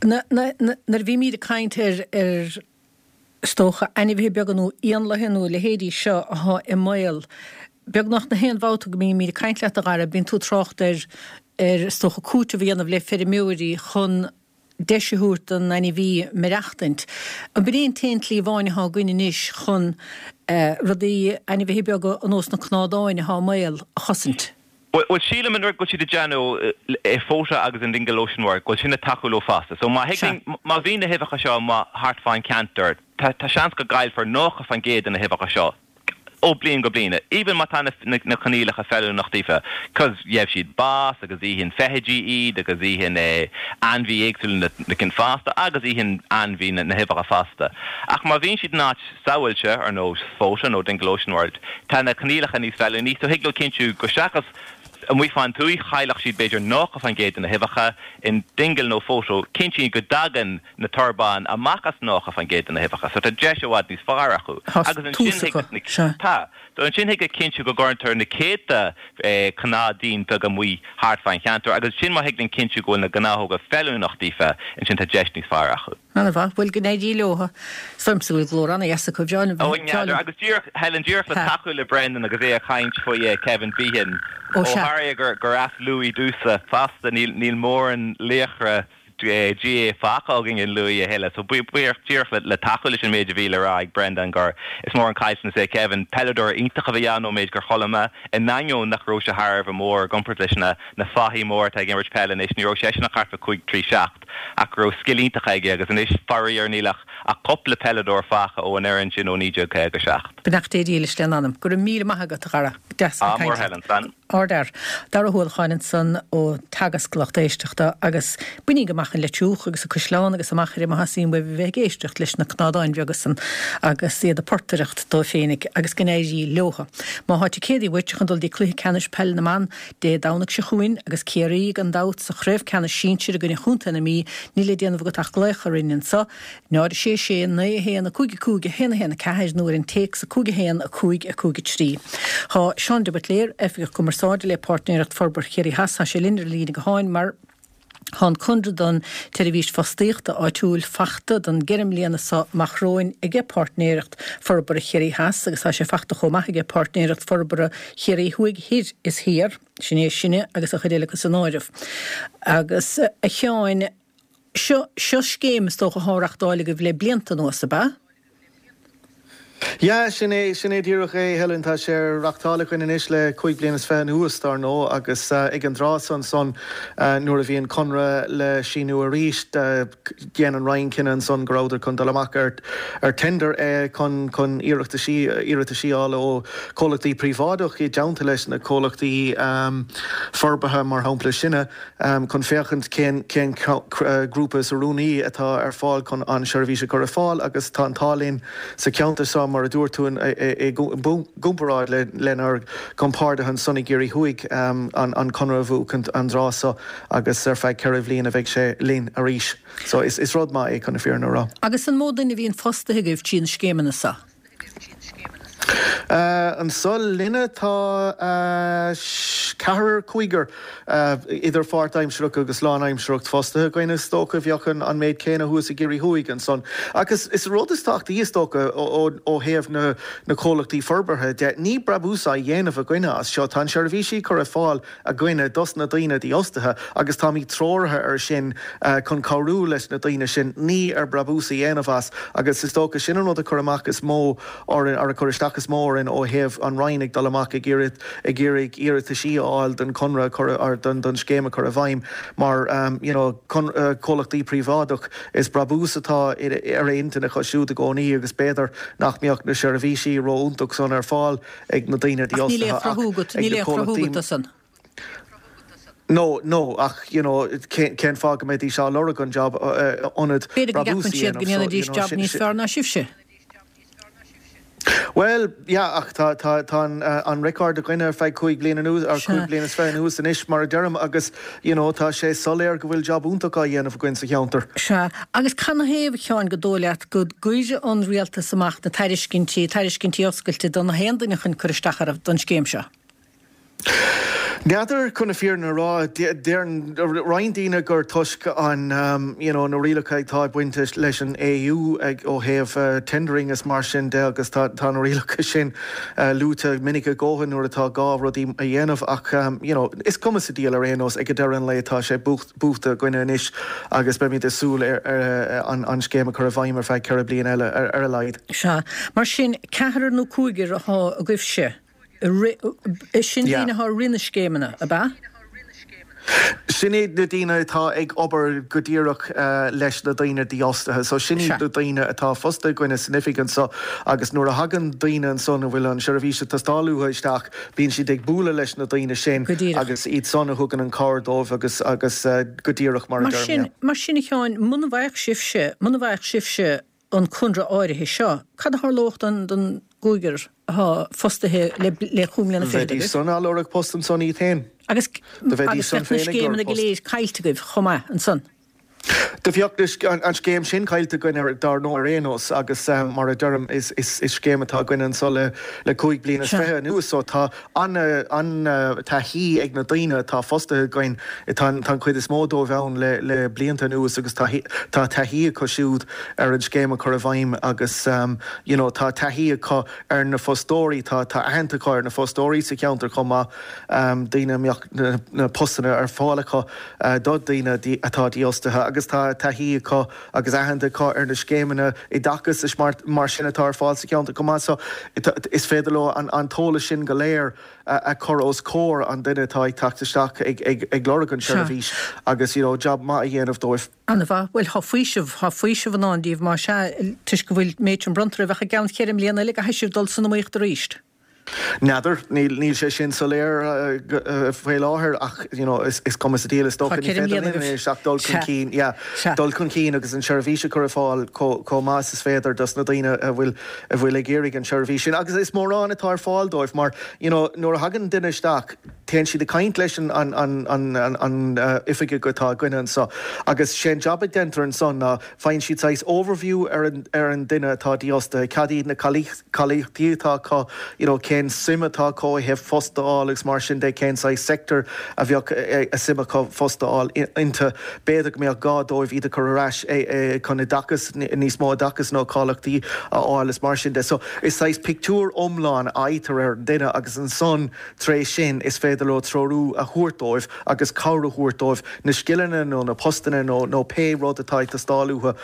Nuair a bhímid ag caint ar, ar, is dócha, ainmhithe beaga nó éanlaithe nó a leithéidí seo atá i mbaol, beagnach na haon bhabhta go mbímid ag caint leat, a Dhara, bíonn tú ag trácht ar, ar, is dócha, cúiteamh a dhéanamh le feirmeoirí chun deis a thabhairt don ainmhí maireachtaint. An b'in é an t-aon tslí amháin atá againn anois chun rudaí, ainmhithe beaga ar nós na cnádáin atá i mbaol, a chosaint? Bhuel, sílim an rud go bhfuil siad ag déanamh i Fota agus in Dingle Ocean World, go bhfuil sin ag tacú leo fosta. So má thig linn, má bhíonn na huibheacha seo amuigh thart fán cheantar, tá seans go gcaillfear 90% de na huibheacha seo ó bliain go bliain, even má tá na coinníollacha feiliúnach daofa, cos gheibh siad bás agus itheann feithidí iad agus itheann ainmhí éagsúla na cinn fosta agus itheann ainmhí na huibheacha fosta. Ach má bhíonn siad in áit sábháilte, ar nós Fota nó Dingle Ocean World, tá na coinníollacha níos feiliúnaí, so thig leo cinntiú go seachas amuigh fán tuaith, chaillfeadh siad b'fhéidir 90% de na huibheacha, in Dingle nó Fota, cinntíonn go dtagann na torbáin amach as 90% de na huibheacha, so tá deis i bhfad níos fearr acu. Tá Agus ansin tús thig acu, na, sea. tá. So ansin thig leo cinntiú go gcuireantar na céadta cnádín beag amuigh thart fán cheantar agus ansin má thig linn cinntiú go bhfuil na gnáthóga feiliúnach daofa, ansin tá deis níos fearr acu. Ana-mhaith. Bhuel, go n-éirí leo. Is dóigh liomsa go bhfuil glór ana-dheas acu. Bhreá liom Ó, bheith, bhreá n'fheadar. liom. Agus díreach, Helen, díreach le Ha. tacú le Brendan agus é ag caint faoi Kevin Behan, Ó, ó sea. tharla gur, gur as Lú domhsa fosta, níl, níl mórán laochra GAA fágtha againn in Lú a thuilleadh. So, buíoch, díreach le, le tacú leis an méid a bhí le rá ag Brendan gur is mór an caillteanas é Kevin. Peileadóir iontach a bhí ann ón méid gur chuala mé, in ainneoin nach raibh sé thar a bheith mór i gcomparáid leis na, na fathaigh móra atá ag imirt peile anois, ní raibh seisean ach thart fá 5 3 7. Ach go raibh scil iontach aige agus anois, faraor, níl ach. ach cúpla peileadóir faighte ó an fhoireann sin ó 1957. Beannacht Dé dílis lena anam. Go raibh míle maith agat, a Dhara. Deas a bheith ag caint leat. Ádh mór, Helen. Ardfhear. Dara Ó hUallacháin ansan ó Teagasc lucht éisteachta agus bainíg amach an Leitriúch agus an Caisleán agus an Machaire má theastaíonn uaibh a bheith ag éisteacht leis na cnádáin bheaga san agus iad ag portaireacht dóibh féinig agus go n-éirí leotha. Má thá ticéadaí uait chun dul dtí Cluiche Ceannais Peile na mBan Dé Domhnaigh seo chugainn agus Ciarraí gan dabht sa Chraobh Ceannais Sinsir i gcoinne Chontae na Mí níl le déanamh agat ach glaoch orainn anso 0 6 6 9 1 5 5 1 1 4 nó ar an téacs 5 1 5 5 3. Tá Seán de Buitléir, Oifigeach Cumarsáide le Páirtnéireacht Forbartha Chiarraí Theas, tá sé linn ar an líne gutháin mar tá an conradh don tseirbhís fostaíochta áitiúil fachta don gceithre mbliana seo amach romhainn aige Páirtnéireacht Forbartha Chiarraí Theas agus tá sé fachta chomh maith aige Páirtnéireacht Forbartha Chiarraí Thuaidh Thoir is Thiar, sin é sinne agus an chuid eile acu san áireamh. Agus a Sheáin, Seo, seo scéim is dócha athá á reachtáil agaibh le blianta anuas, ab ea? Yeah, sin é, sin é díreach é, Helen. Tá sé á reachtáil againn anois le cúig bliana is fiche anuas, dar ndóigh, agus ag an dtráth san ansan nuair a bhí an conradh le síniú arís, dhein an Roinn cinneadh ansan go rabhadar chun dul amach ar ar tender chun chun iarrachtaisí iarrataisí a fháil ó chomhlachtaí príobháideach i dteannta leis na comhlachtaí forbartha, mar shampla sinne. chun féachaint cén cén grúpa is oiriúnaí atá ar fáil chun an seirbhís a chur ar fáil agus tá an t-ádh linn sa cheantar seo mar a dúirt tú i gcomparáid lenár gcompáirtithe ansan i gCiarraí Thuaidh an conradh a bhuachaint an dtráth seo agus ar feadh 4 bhliain a bheidh sé linn arís. So is rud maith é chun na fírinne a rá. Agus an mó duine a bhíonn fostaithe agaibh trí na scéimeanna seo? Anso linne tá ceathrar, cúigear idir pháirtaimsearach agus lánaimsearach fostaithe againn. Is dócha bheadh an méid céanna thuas i gCiarraí Thuaidh ansan. Ach is rud is tábhachtaí is dócha ó thaobh na comhlachtaí forbartha de, ní brabús á dhéanamh againne as seo. Tá an seirbhísí curtha ar fáil againne dos na daoine dífhostaithe agus táimid treoraithe ar sin chun cabhrú leis na daoine sin, ní ar brabús a dhéanamh as agus is dócha sin an rud a chuir amach is mó orainn, or a chuir isteach is mó orainn ó thaobh an Roinn ag dul amach ag iarraidh ag iarraidh iarrataisí a fháil don chonradh a chur or don don scéim a chur i bhfeidhm mar you know comhlachtaí príobháideach is brabús atá ar intinn acu siúd i gcónaí agus b'fhéidir nach mbeadh na seirbhísí ró-iontach san ar fáil ag na daoine Ach níl aon dífhostaithe chruthú ach agat, ag níl na aon chruthú comhlachtaí agat dó san. No, no, ach you know cén cén fáth go mbeidís á lorg an job ionad B'fhéidir go brabús gceapann a siad go dhéanamh so ndéanfaidís you know jab sin níos sin fearr ná sibhse. Bhuel, yeah, ach tá tá tá an an record againne ar feadh cúig bliana anuas or Sea. cúig bliana is fiche anuas anois mar a deirim agus you know tá sé soiléir go bhfuil job iontach á dhéanamh againn sa cheantar. Sea, agus canathaobh, a Sheáin, gur dóigh leat go gcuireadh an rialtas amach na tairiscintí, tairiscintí oscailte do na haon duine chun cur isteach orthu don scéim seo? N'fheadar, chun na fírinne a rá. Deir roinnt daoine gur toisc an you know na rialacha atá ag baint leis an AU ag ó thaobh tendering is mar sin de agus tá tá na rialacha sin luaite minic a dhóthain nuair atá gá rudaí a dhéanamh ach you know is cuma sa diabhal ar aon nós ag deireadh an lae tá sé buachta againne anois agus beimid ag súil ar an scéim a chur i bhfeidhm ar feadh 4 bliana eile ar a laghad. Sea. Mar sin, ceathrar nó cúigear atá agaibhse i rith, sin daoine atá ag rith na scéimeanna, ab ea? Sin iad na daoine atá ag obair go díreach leis na daoine dífhostaithe. So sin iad na daoine atá fostaithe againne san oifig anso agus nuair a thagann daoine ansan a bhfuil an seirbhís ag teastáil uathu isteach, Bíonn siad ag bualadh leis na daoine sin Go díreach. agus iad san a thugann an cabhair dóibh agus agus go díreach mar a Mar deirim, sin, yeah. mar sin a Sheáin, muna bhfaigheadh sibhse, muna bhfaigheadh sibhse an conradh áirithe seo, cad a tharlódh don, don gcúigear atá fostaithe le, le cúig mbliana fichead Bheidís agaibh? san á lorg post ansan iad féin. Agus, Do bheidís agus san bheadh na féin ag lorg scéimeanna go post. léir caillte agaibh chomh maith ansan. Do bheadh an scéim sin caillte againn dar ndóigh ar aon nós agus mar a deirim is scéim atá againn anso le cúig bliana is fiche anuas so tá an-taithí ag na daoine atá fostaithe againn, tá an chuid is mó dóibh ann le blianta anuas agus tá taithí acu siúd ar an scéim a chur i bhfeidhm agus you know tá taithí acu ar na fostóirí, tá aitheanta acu ar na fostóirí sa cheantar chomh maith, daoine a mbeadh na postanna ar fáil acu. do dhaoine atá dífhostaithe. agus tá taithí acu agus aitheanta acu ar na scéimeanna oideachais is mar sin atá ar fáil sa cheantar chomh maith so is féidir leo an t-eolas sin go léir a chur os comhair an duine atá ag teacht isteach ag lorg an tseirbhís agus you know jab maith a dhéanamh dóibh. An-mhaith. Bhuel, tá faoiseamh, tá faoiseamh i ndán daoibh, más ea, toisc go bhfuil méid sin bronnta oraibh, ach i gceann cheithre mbliana eile, an gcaithfidh sibh dul san iomaíocht arís. N'fheadar, níl, níl sé sin soiléir faoi láthair ach, you know, is, is cuma sa diabhal is dócha, Tá ní ceithre féidir mbliana linn agaibh. anois ach dul chun Sea. cinn, yeah, Sea. dul chun cinn agus an tseirbhís a chur ar fáil chomh, chomh maith is is féidir dos na daoine a bhfuil, a bhfuil ag iarraidh an tseirbhís sin. Agus is mórán atá ar fáil dóibh mar, you know, nuair a thagann duine isteach, Téann siad ag caint leis an oifigeach atá againne anso agus sé an jab a deintear ansan ná faigheann siad saghas overview ar an duine atá dífhostaithe, cad iad na cáilíochtaí atá acu, you know cén suim atá acu ó thaobh post a fháil agus mar sin de, cén saghas sector a bheadh suim acu post a fháil iontu. B'fhéidir go mbeadh gá dóibh iad a chur ar ais chun oideachas, níos mó oideachas nó cáilíochtaí a fháil is mar sin de. So is saghas pictiúr iomlán a fhaightear ar an duine agus ansan Tar éis sin, is féidir leo treorú a thabhairt dóibh agus cabhair a thabhairt dóibh na scileanna nó na postanna nó nó pé rud atá ag teastáil uathu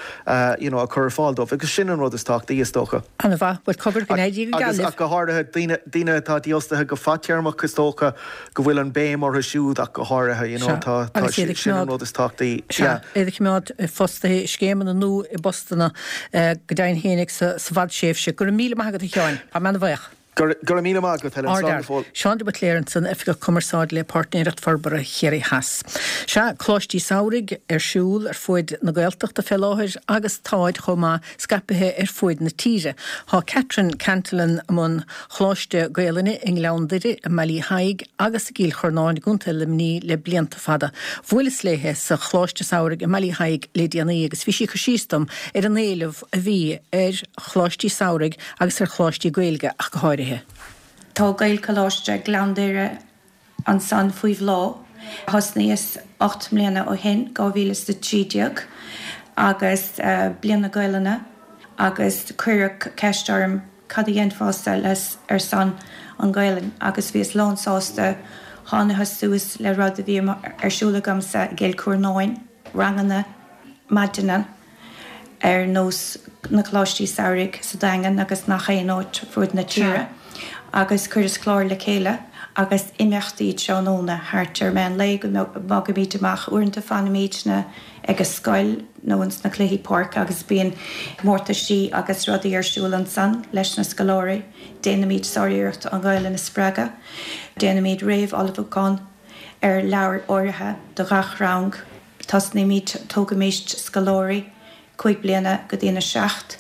you know a chur ar fáil dóibh. Agus sin an rud is tábhachtaí, is dócha. An-mhaith. Bhuel, cogar, go n-éirí go geal Agus, libh. ach go háirithe, daoine, daoine atá dífhostaithe go fadtéarmach, is dócha go bhfuil an béim orthu siúd ach go háirithe, you know, Sea. tá, tá, Agus iad ag sin an coimeád, rud is tábhachtaí. sea, Yeah. iad a choimeád fostaithe i scéimeanna nó i bpostanna go deimhin féinig sa, sa bhfadtréimhse. Go raibh míle maith agat, a Sheáin. Tá mé ana-bhuíoch. Go raibh míle maith agat, Helen. Slán go fóill. Seán de Buitléir ansan, Oifigeach Cumarsáide le Páirtnéireacht Forbartha Chiarraí Theas. Sea, Coláistí Samhraidh ar siúl ar fuaid na Gaeltachta fé láthair agus táid chomh maith scaipithe ar fuaid na tíre. Tá Catherine Cantillon i mbun Choláiste Gaelainne i nGleann Doire, i mBaile Uí Thaidhg agus i gCill Churnáin i gContae Luimnigh le blianta fada. Bhuaileas léithe sa Choláiste Samhraidh i mBaile Uí Thaidhg le déanaí agus bhí sí ag cur síos dom ar an éileamh a bhí ar Choláistí Samhraidh agus ar Choláistí Gaeilge ach go háirithe. Tá Gaelcholáiste Ghleann Doire ansan faoi bhláth. Thosnaíos 8 mbliana ó shin, 2013, agus Bliain na Gaelainne agus cuireadh ceist orm cad a dhéanfása ar son an Ghaelainn agus bhíos lán sásta. Thánathas suas le rud a bhí ar siúl agamsa i gCill Churnáin, ranganna maidine, ar nós na Coláistí Samhraidh sa Daingean agus nach aon áit fuaid na tíre, agus chuireas clár le chéile agus imeachtaí tráthnóna thart ar meán lae go bhfágaimid amach. Uaireanta fanaimídne ag an scoil nó ins na cluichí páirce agus bíonn comórtaisí agus rudaí ar siúl ansan leis na scoláirí. Déanaimid sáriarracht an Ghaelainn a spreagadh. Déanaimid réamh-ullmhúchán ar leabhair áirithe do ghach rang. Tosnaímid, tógaimíst scoláirí 5 bliana go dtí an 7,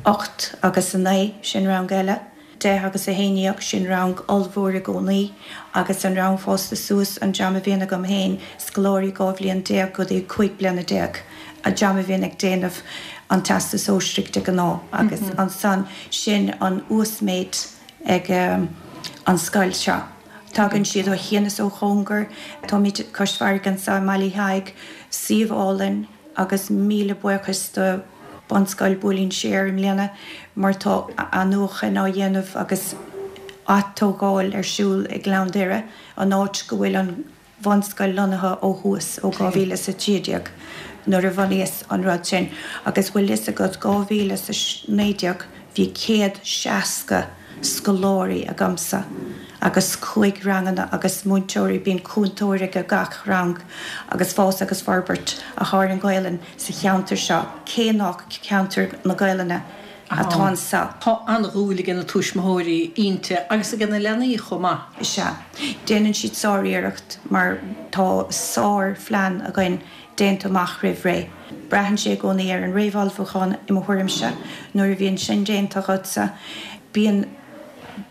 8 agus 9, sin rang eile, 10 agus 11, sin rang ollmhór i gcónaí, agus an rang fásta suas, an dream a bhíonn agam féin, scoláirí 12 bhliain go dtí 15 bliana, an dream a bhíonn ag déanamh an Teastas Sóisearaigh de ghnáth, agus ansan, sin an uasmhéid. ag an scoil seo. Tagann siad ó chian is ó chóngar. Táimid cois farraige anseo i mBaile Uí Thaidhg, suíomh álainn agus míle buíochas do Bunscoil Buailín Siar i mbliana mar tá athnuachan á dhéanamh agus atógáil ar siúl i nGleann Doire, an áit go bhfuil an bhunscoil lonnaithe ó thús, ó 2013 nuair a bhunaíos an rud sin agus bhfuil fhios agat 2019 bhí 160 scoláirí agamsa agus cúig ranganna agus múinteoirí, bíonn cúntóir ag gach rang agus fás agus forbairt atá ar an Ghaelainn sa cheantar seo cé nach ceantar na Gaelainne atá anseo. Tá an-dhúil ag na tuismitheoirí inti agus ag na leanaí chomh maith. Is ea. Déanann siad sáriarracht mar tá sár-phlean againn déanta amach roimh ré. Braitheann sé i gcónaí ar an réamhullmhúchán i mo thuairimse. Nuair a bhíonn sin déanta agatsa, bíonn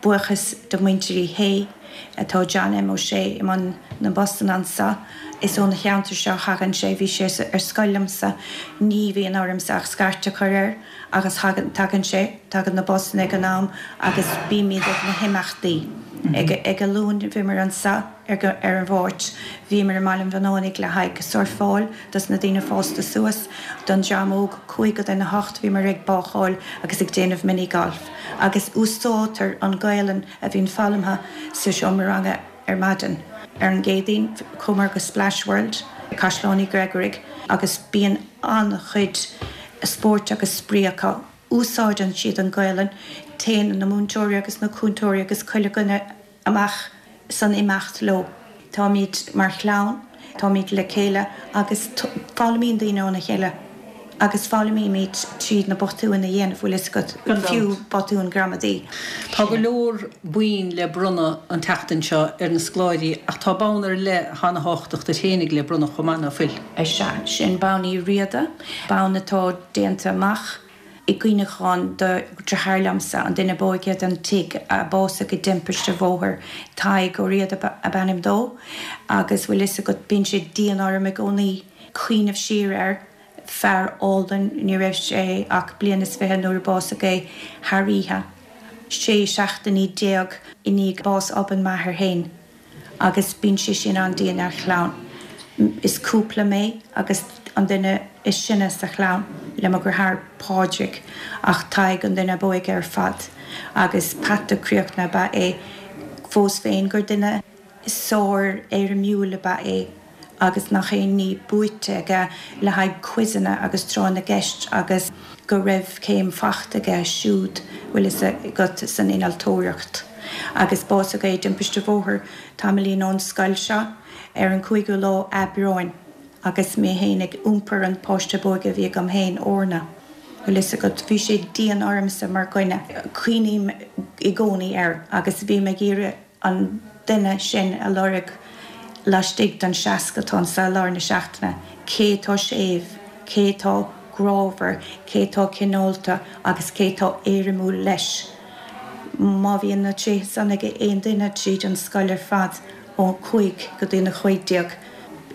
buíochas do muintir Uí Shé, tá John M. Ó Sé i mbun na mbusanna anseo, is ón cheantar seo a thagann sé, bhí sé ar scoil liomsa, ní bhíonn ormsa ach scairt a chur air. Agus tagann sé, tagann na busanna ag an am agus bímid ag na himeachtaí. Ag an Luan bhíomar anseo ar an Mháirt, bhíomar i mBaile an Bhunánaigh le haghaidh surfáil dos na daoine fásta suas, don dream óg, 7:55 go bhíomar ag bácáil agus ag déanamh mini golf. Agus úsáidtear an Ghaelainn a bhíonn foghlamtha sa seomra ranga ar maidin. Ar an gCéadaoin chuamar go Splash World, Caisleán Uí Ghrégoraigh. Agus bíonn an-chuid spóirt agus spraoi acu. Úsáideann siad an Ghaelainn. Téann na múinteoirí agus na cúntóirí agus chuile dhuine amach san imeacht leo. Táimid mar chlann, táimid le chéile agus foghlaimíonn daoine óna chéile agus foghlaimímid tríd na botúin a dhéanamh, bhfuil fhios agat, fiú botúin gramadaí. Tá go leor boinn le bronnadh an tseachtain seo ar na scoláirí ach tá bonn ar leith atá ana thábhachtach duit fhéinig le bronnadh chomh maith, ná fuil? Sea, sin bonn Uí Riada, bonn atá déanta amach i gcuimhneachán do dheartháir liomsa, an duine b'óige den tigh a básaigh i dtimpiste bhóthair, Tadhg Ó Riada ab ainm dó, agus bhfuil fhios agat, bíonn sé dian orm i gcónaí cuimhneamh siar air, fear álainn, ní raibh sé ach bliain is fiche nuair a básaigh é, thar oíche, 16 seachtainí i ndiaidh bás obann m'athair fhéin. Agus bíonn sé sin an-dian ar chlann. Is cúpla mé agus an duine is sine sa chlann le mo dheartháir Pádraig ach Tadhg an duine ab óige ar fad agus peata críochnaithe ab ea é fós féin gur duine sár-éirimiúil ab ea é. agus nach aon ní buaite aige le haghaidh quizeanna agus tráth na gceist agus go raibh céim fachta aige siúd, bhfuil fhios agat, san innealtóireacht. Agus básaigh é i dtimpiste bhóthair tamaillín ón scoil seo ar an cúigiú lá Aibreáin agus mé fhéin ag iompar an páiste ab óige a bhí agam fhéin, Orna. Bhfuil fhios agat, bhí sé dian ormsa mar dhuine. Cuimhním i gcónaí air agus bím ag iarraidh an duine sin a lorg laistigh den 60 atá anso i lár na seachtaine, cé atá séimh, cé atá grámhar, cé atá cineálta agus cé atá éirimiúil leis. Má bhíonn na tréithe san ag aon duine tríd an scoil ar fad ó 5 go dtí na 15,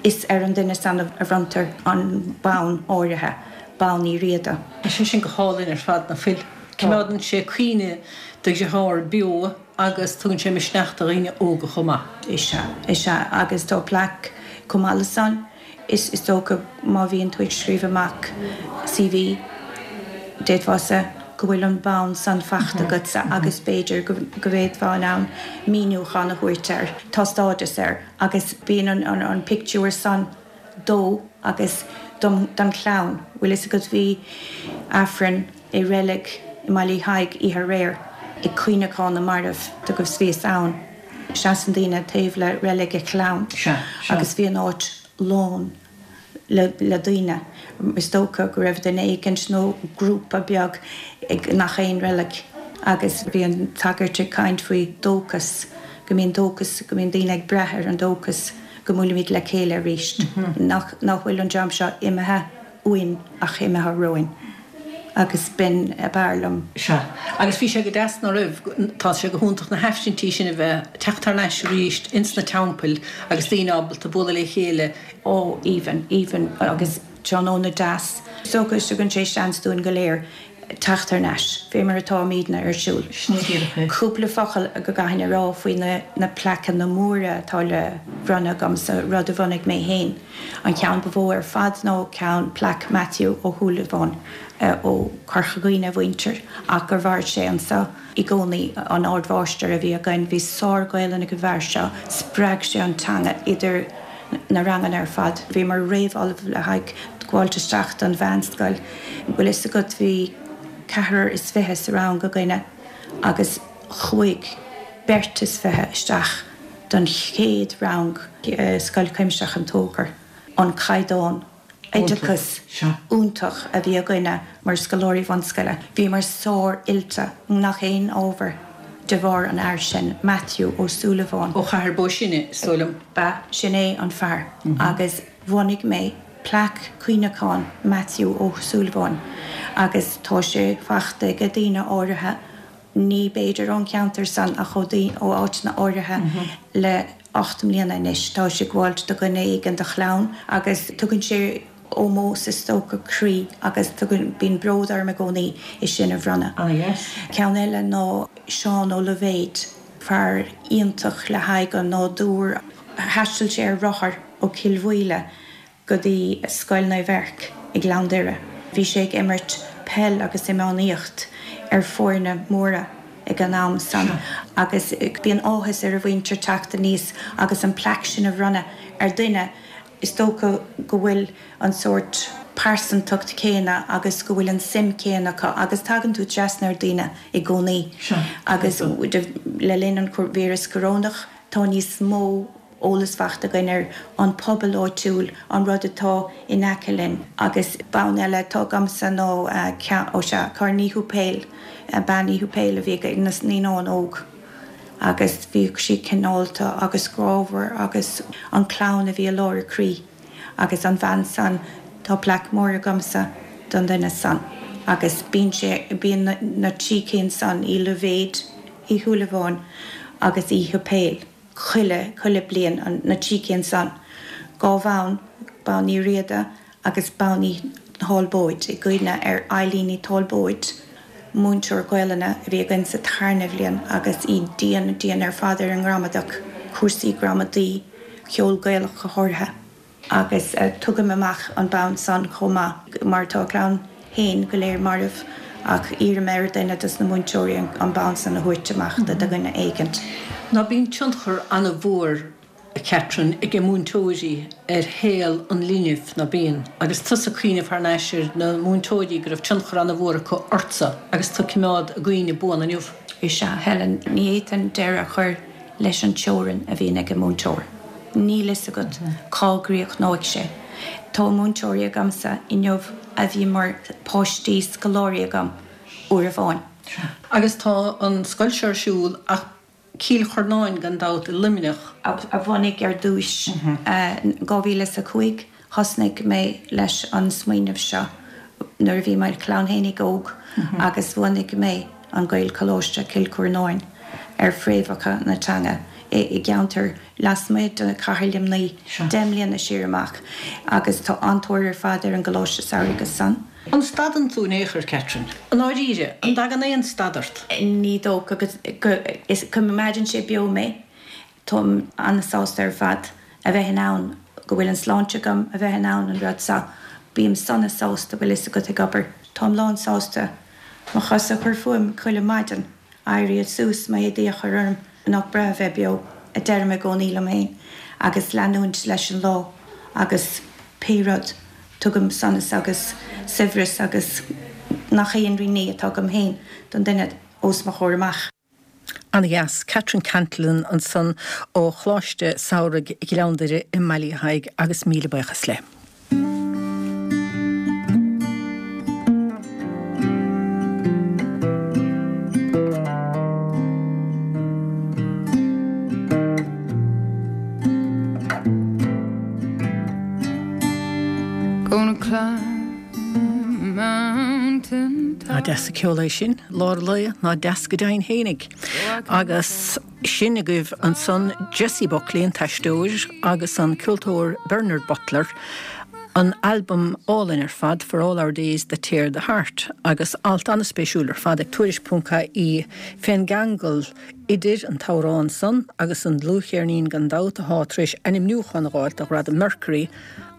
is ar an duine san a bhronntar an bonn áirithe, bonn Uí Riada. Tá sé sin go hálainn ar fad, ná fuil? Coimeádann sé cuimhne do dhearthár beo. Agus tugann sé misneach do dhaoine óga chomh maith. Is ea, is ea. Agus tá plaic chomh maith le san. Is is dócha má bhíonn tú ag scríobh amach CV, d'fhéadfása go bhfuil an bonn san fachta agatsa agus b'fhéidir go go bhféadfá in ann míniúchán a thabhairt air. Tá stádas air agus bíonn an an an pictiúr san dó agus dom don chlann. Bhfuil fhios agat bhí Aifreann i reilig i mBaile Thaidhg oíche aréir ag cuimhneachán na marbh agus bhíos ann. Seasann daoine taobh le reilig a chlann agus bhí an áit lán le le daoine. Is dócha go raibh duine éicint nó grúpa beag ag nach aon reilig agus bhí an sagart ag caint faoi dóchas, go mbíonn dóchas, go mbíonn daoine ag brath ar an dóchas go mbuailfimid le chéile arís, nach nach bhfuil an dream seo imithe uainn ach imithe romhainn. Agus b'in ab fhearr liom. Sea. Agus bhí sé go deas, ná raibh? Tá sé go hiontach na haifrintí sin a bheith ag teacht thar n-ais arís ins na teampaill agus daoine ábalta bualadh le chéile. Ó, aoibhinn, aoibhinn agus tráthnóna deas. Is dócha tugann sé seans dúinn go léir teacht thar n-ais, fé mar atáimidne ar siúl. Sin é díreach é. Cúpla focal go gcaithfinn a rá faoi na na plaiceanna móra atá le bronnadh agamsa, rud a bhunaigh mé fhéin. An ceann ba mhó ar fad ná ceann plaic Matthew Ó Súilleabháin ó Chorca Dhuibhne a mhuintir ach gur mhair sé anso i gcónaí, an ardmháistir a bhí againn. Bhí sár-Ghaelainn ag an bhfear seo, spreag sé an teanga idir na ranganna ar fad. Bhíomar réamh-ullamh le haghaidh gabháilt isteach don mheánscoil. Bhfuil fhios agat bhí ceathrar is fiche sa rang againne agus chuaigh beirt is fiche isteach don chéad rang i Scoil Chuimsitheach an Tóchair, an caighdeán oideachais iontach a bhí againne mar scoláirí bhunscoile. Bhíomar sár-oilte i ngach aon ábhar de bharr an fhear sin, Matthew Ó Súilleabháin. Ó Chathair Bó Sine, is dóigh liom. Ba sin é an fear agus bhunaigh mé plaic cuimhneacháin Matthew Ó Súilleabháin agus tá sé fachta ag daoine áirithe ní b'fhéidir ón cheantar san ach ó ó áiteanna áirithe le 8 mbliana anois. Tá sé ag gabháilt do dhuine éigin de chlann agus tugann sé ómós is dócha croí agus tugann bíonn bród orm i gcónaí é sin a bhronnadh. Ceann eile ná Seán Ó Loibhéid, fear iontach le haghaidh an nádúr. Thaistil sé ar rothar ó Chill Mhaoile go dtí Scoil Naomh Eirc i nGleann Doire. Bhí sé ag imirt peil agus iománaíocht ar foirne móra ag an am san agus bíonn áthas ar a mhuintir teacht aníos agus an plaic sin a bhronnadh ar dhuine. Is dócha go bhfuil an sórt pearsantacht céanna agus go bhfuil an suim céanna acu agus tagann tú trasna ar daoine i gcónaí agus le linn an víreas corónach tá níos mó eolas faighte againn ar an pobal áitiúil, an rud atá in aice linn. Agus bonn eile atá agamsa ná ceann, ó sea, Cárthach Ní Thuathail, Bean Uí Thuathail a bhí ag na naíonáin óg agus bhíodh sí cineálta agus grámhar agus an clann a bhí i lár a croí agus an bhean san, tá plaic mór agamsa don duine san agus bíonn sé, bíonn na trí cinn san, Uí Loibhéid, Uí Shúilleabháin agus Uí Thuathail. chuile, chuile bliain, an, na trí cinn san. 2 bhonn, bonn Uí Riada agus bonn Uí Thálbóid, i gcuimhne ar Eilín Ní Thálbóid, múinteoir Gaolainne a bhí againn sa tarna bhliain agus í dian, dian ar fad ar an ngramadach, cúrsaí gramadaí, ceol Gaelach go háirithe. Agus tugaim amach an bonn san chomh maith, mar tá a clann féin go léir marbh, ach iarraim ar dhuine dos na múinteoirí an bonn san a thabhairt amach do dhuine éigint. Ná bíonn tionchar an-mhór, a Catherine, ag múinteoirí ar shaol an linbh, ná bíonn? Agus tusa ag cuimhneamh thar n-ais ar na múinteoirí go raibh tionchar an-mhór acu ortsa agus tú ag coimeád a gcuimhne buan inniu. Is ea, Helen, ní fhéadfainn deireadh a chur leis an teorainn a bhíonn ag an múinteoir. Níl fhios agat cá gcríochnóidh sé. Tá múinteoirí agamsa inniu a bhí mar páistí scoláirí agam uair amháin. Agus tá an scoil seo ar siúl ach Cill Churnáin gan dabht i Luimneach. A bhunaigh ar dtúis. 2005 thosnaigh mé leis an smaoineamh seo nuair a bhí mo chlann fhéinig óg agus bhunaigh mé an Gaelcholáiste Cill Churnáin ar fréamhacha na teanga i gceantar lasmuigh de chathair Luimnigh 10 mbliana siar amach agus tá an-tóir ar fad ar an gColáiste Samhraidh as san. An stadann tú in aon chor, Catherine? I ndáiríre, an dtagann aon stad ort? Ní dócha go coimeádann sé beo mé. Táim an-sásta ar fad a bheith in ann, go bhfuil an sláinte agam a bheith in ann an rud seo. Bím sona sásta, bhfuil fhios agat, ag obair. Táim lán sásta mo chosa a chur fúm chuile maidin, éirí suas, m'éadaí a chur orm, nach breá a bheith beo, a deirim i gcónaí liom féin, agus leanúint leis an lá agus pé rud, tugaim sonas agus saibhreas agus nach aon ní atá agam féin don duine os mo chomhair amach. An-dheas. Catherine Cantillon ansan ó Choláiste Samhraidh Ghleann Doire i mBaile Thaidhg agus míle buíochas léi. Gonna climb mountain Nach deas an ceol é sin, lár lae, nach deas go deimhin fhéinig. Agus sin agaibh ansan Jessie Buckley, an t-aisteoir, agus an ceoltóir Bernard Butler, an albam álainn ar fad, For All Our Days That Tear the Heart, agus alt an-spéisiúil ar fad ag Tuairisc.ie fén gceangal idir an t-amhrán san agus an dlúthcheirnín gan dabht athá tar éis ainmniúchán a dh'fháilt do Ghradam Mercury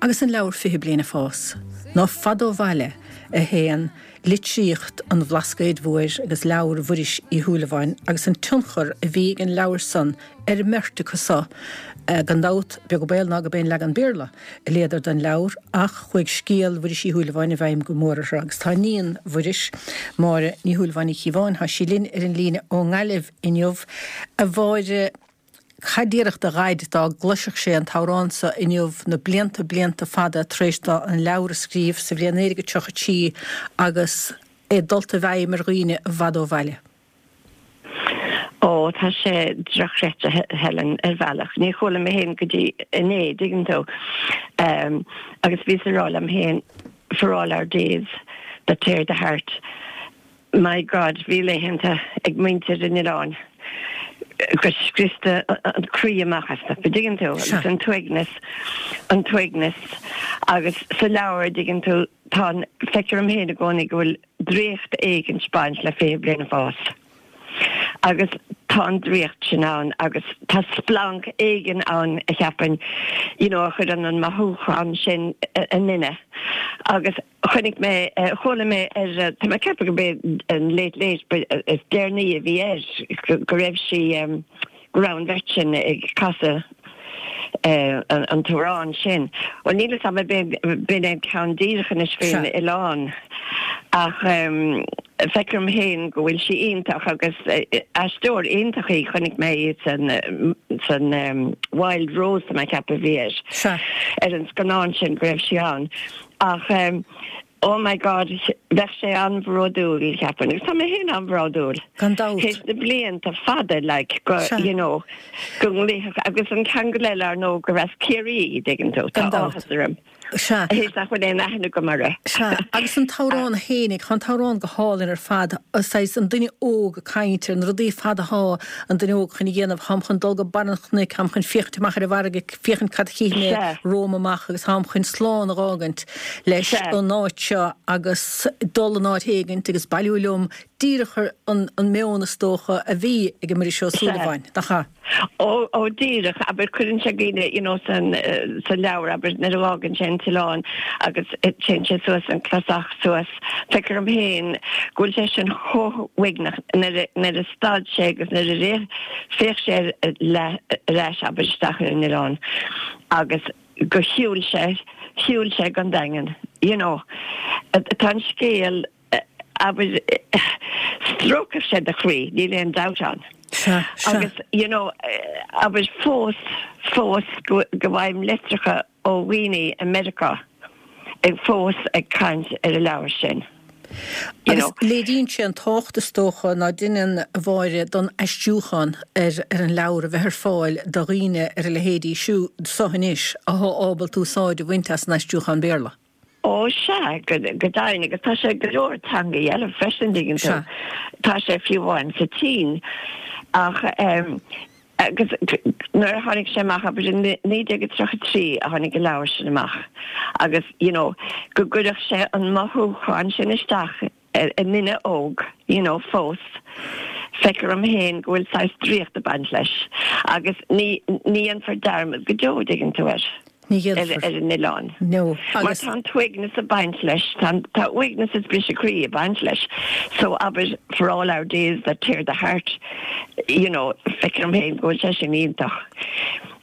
agus an leabhar 20 Bliain ag Fás. Ná fada ó bhaile a théann litríocht an Bhlascaoid Mhóir agus leabhar Mhuiris Uí Shúilleabháin agus an tionchar a bhí ag an leabhar san ar an mbeirt acu so. Gan dabht, beag an baol ná gurb é an leagan Béarla a léadar den leabhar ach chuaigh scéal Mhuiris Uí Shúilleabháin i bhfeidhm go mór orthu agus tá iníon Mhuiris, Máire Ní Shúilleabháin Uí Chíobháin, tá sí linn ar an líne ón nGaillimh inniu. A Mháire. Cad déarfadh do Dhaid dá gcloisfeadh sé an t-amhrán so inniu, na blianta, blianta fada tar éis dó an leabhar a scríobh sa bhliain 1933 agus é dulta i bhfeidhm ar dhaoine i bhfad ó bhaile? Ó, tá sé drochchreidte, Helen, ar bhealach. Níor chuala mé féin go dtí inné, dtuigeann tú. Agus bhíos ag rá liom féin, for all our days that tear the heart. My God, bhí laethanta ag muintir an oileáin gur scriosta an croí amach astu, an dtuigeann tú, agus an t-uaigneas, an t-uaigneas. Agus sa leabhar, an dtuigeann tú, tá an, feictear dom féin i gcónaí go bhfuil draíocht éigin ag baint le 20 bliain ag fás. Agus tá an draíocht sin ann agus tá splanc éigin ann a cheapfainn, you know, a chuireann an mothúchán sin i nduine. Agus Chonaic mé, chuala mé ar, tá mé ag ceapadh gurb é an Late Late is deireanaí a bhí air, go raibh sí, go raibh an bheirt sin ag casadh. An t-amhrán sin. Bhuel, níl 'fhios a'm b'in é an ceann díreach anois faoin oileán ach feictear dom féin go bhfuil sí iontach agus aisteoir iontach í. Chonaic mé í san san Wild Rose tá mé ag ceapadh a bhí air ar an scannán sin go raibh sí ann ach Oh my God, bheadh sé an-bhródúil, cheapfainn, agus tá mé féin an-bhródúil. Gan dabht. Théis na blianta fada, like, go, you know, go nglaofadh, agus an ceangal eile, ar ndóigh, gur as Ciarraí í, dtuigeann tú, Gan tá dabht. áthas orm. Sea. Théis nach bhfuil aon aithne agam uirthi. Sea, agus an t-amhrán fhéinig, tá an t-amhrán go hálainn ar fad, saghas an duine óg ag caint ar na rudaí fada athá an duine óg chun a dhéanamh, tháim chun dul go barr an chnoic, tháim chun féachaint amach ar an bhfarraige, féachaint cad a chífidh mé Sea. romham amach agus tháim chun slán a dh'fhágaint. leis an áit seo agus dul in áit éigint agus bailiú liom, díreach an meon is dócha a bhí ag an Muiris Ó Súilleabháin, nach ea? Ó, ó díreach, abair, cuireann sé daoine, you know, san, sa leabhar, abair, nuair a fhágann sé an t-oileán agus téann sé suas an clasach suas, feictear dom féin go bhfuil sé sin chomh huaigneach nuair a, nuair a stad sé agus nuair a rith, féach sé ar, ar ais, abair, isteach ar an oileán agus. go shiúil sé, shiúil sé gon Daingean, you know. Tá an scéal, abair, stróicfeadh sé do chroí, níl aon dabht ann. Sea, sea. Agus, you know, abair, fós, fós go, go bhfaighim litreacha ó dhaoine i Meiriceá ag fós ag caint ar an leabhar sin. You know. Agus léiríonn sé an tábhacht is dócha ná deineann a Mháire don aistriúchán ar ar an leabhar a bheith ar fáil do dhaoine ar a leithéidí siúd so anois athá ábalta úsáid a bhaint as an aistriúchán Béarla. Ó sea, go deimhin, agus tá sé i go leor teangaí eile freisin, dtuigeann tú. Sea. Tá sé fiú amháin sa tSín. Ach ehm agus nuair a tháinig sé amach, abair i 1933 a tháinig an leabhar sin amach agus you know go gcuirfeadh sé an mothúchán sin isteach i nduine óg you know fós, feictear dom féin go bhfuil saghas draíocht ag baint leis agus ní ní dhéanfar dearmad go deo, dtuigeann tú, air. Ní dhéanfar. ar an oileán. No. Mar Agus. tá an t-uaigneas ag baint leis, tá an, tá uaigneas is briseadh croí ag baint leis. So, abair, for all our days that tear the heart, you know, feictear dom féin go bhfuil sé sin iontach.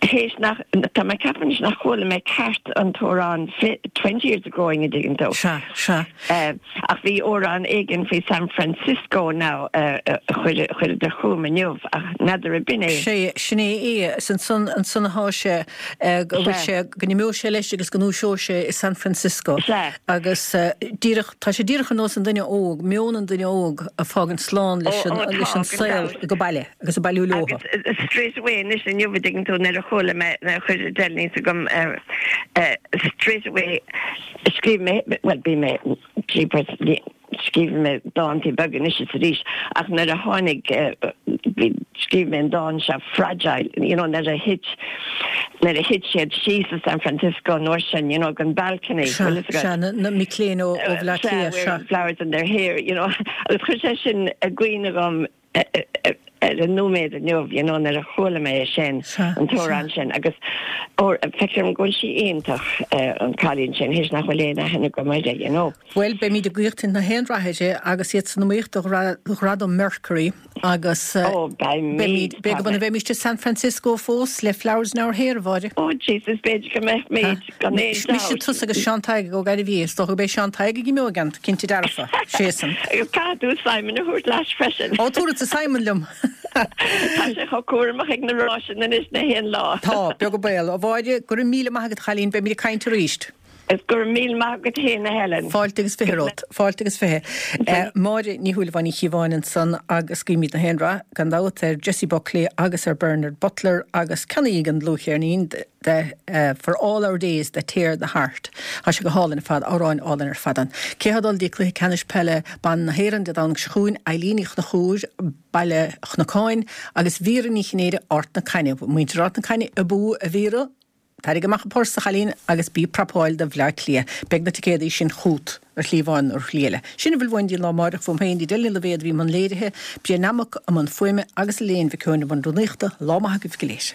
Théis nach, tá mé ag ceapadh anois nach chuala mé ceart an t-amhrán 20 years ago an dtuigeann tú. Sea, sea. Ach bhí amhrán éigin faoi San Francisco now a chuireadar chugam inniu ach n'fheadar ab in é. Sé, sin é é. Is ansan, ansan athá sé, go bhfuil sé, go n-imeoidh sé leis agus go ndúiseoidh sé i San Francisco. Sea. Agus díreach, tá sé díreach ar nós an duine óg, meon an duine óg a fágaint slán leis an, leis an saol go baile agus ag bailiú leothu. Agus straight away anois inniu a dtuigeann tú nuair a chuala mé, nuair a chuir Adele níos agam straight away, Scríobh mé, bhuel, bhí mé, scríobh mé dántaí beaga anois is arís ach nuair a tháinig, bhí, scríobh mé an dán seo, Fragile, you know, nuair a thit, nuair a thit siad síos i San Francisco an uair sin, you know, den balcony, Sea, bhfuil fhios sea, agat? na, na mic léinn ó, ó Bhleá Sea, Cliath, sea. wearing flowers in their hair, you know, agus chuir sé sin i gcuimhne dhom, ar an nóiméad inniu, you know, nuair a chuala mé é sin, an t-amhrán sin, agus feictear dom go bhfuil sí iontach, an cailín sin, théis nach bhfuil aon aithne agam uirthi, you know. Bhuel, beimid ag guíochtaint na haon rath uirthi agus iad san iomaíocht do Ghradam Mercury agus Ó, beimid, beidh, go mbeimid i San Francisco fós le Flowers in Our Hair, a Mháire. Ó, Jesus, b'fhéidir go mbeimid. Gan aon Mise, dabht. tusa agus Seán Tadhg Ó Gairbhí. Is dócha go mbeidh Seán Tadhg ag imeoigeant, cinnte dearfa. Séasan. Agus caithfidh tú Simon a thabhairt leat freisin. Ó, tabharfadsa Simon liom. Tá sé chomh cúramach ag na ráiseanna anois na haon lá. Tá, beag an baol. A Mháire, go raibh míle maith agat, a chailín, beimid ag caint arís. Is go raibh míle maith agat fhéin, a Helen. Fáilte agus fiche romhat. Fáilte agus fiche. Máire Ní Shúilleabháin Uí Chíobháin ansan agus guímid na haon rath, gan dabht, ar Jessie Buckley agus ar Bernard Butler agus ceannaígí an dlúthcheirnín. de For all our days that tear the heart. Tá sé go hálainn ar fad, amhráin álainn ar fad ann. Cé atá ag dul dtí Cluiche Ceannais Peile Ban na hÉireann Dé Domhnaigh seo chugainn? Eileen Uí Chonchúir, Baile Chnocáin, agus Vera Ní Chinnéide, Ard na Caithne. Muintir Ard na Caithne abú, a Vera! Tarraing amach an pursa, a chailín, agus bí ag prapáil do Bhleá Cliath. Beidh na ticéadaí sin chugat ar shlí amháin nó ar shlí eile. Sin a bhfuil uainn dtí an lá amáireach. Uaim féin, Edel Ní Loibhéad a bhí i mbun léirithe, Brian Nammock i mbun fuaime agus Elaine Mhic Eoin i mbun rúnaíochta. Lá maith agaibh go léir.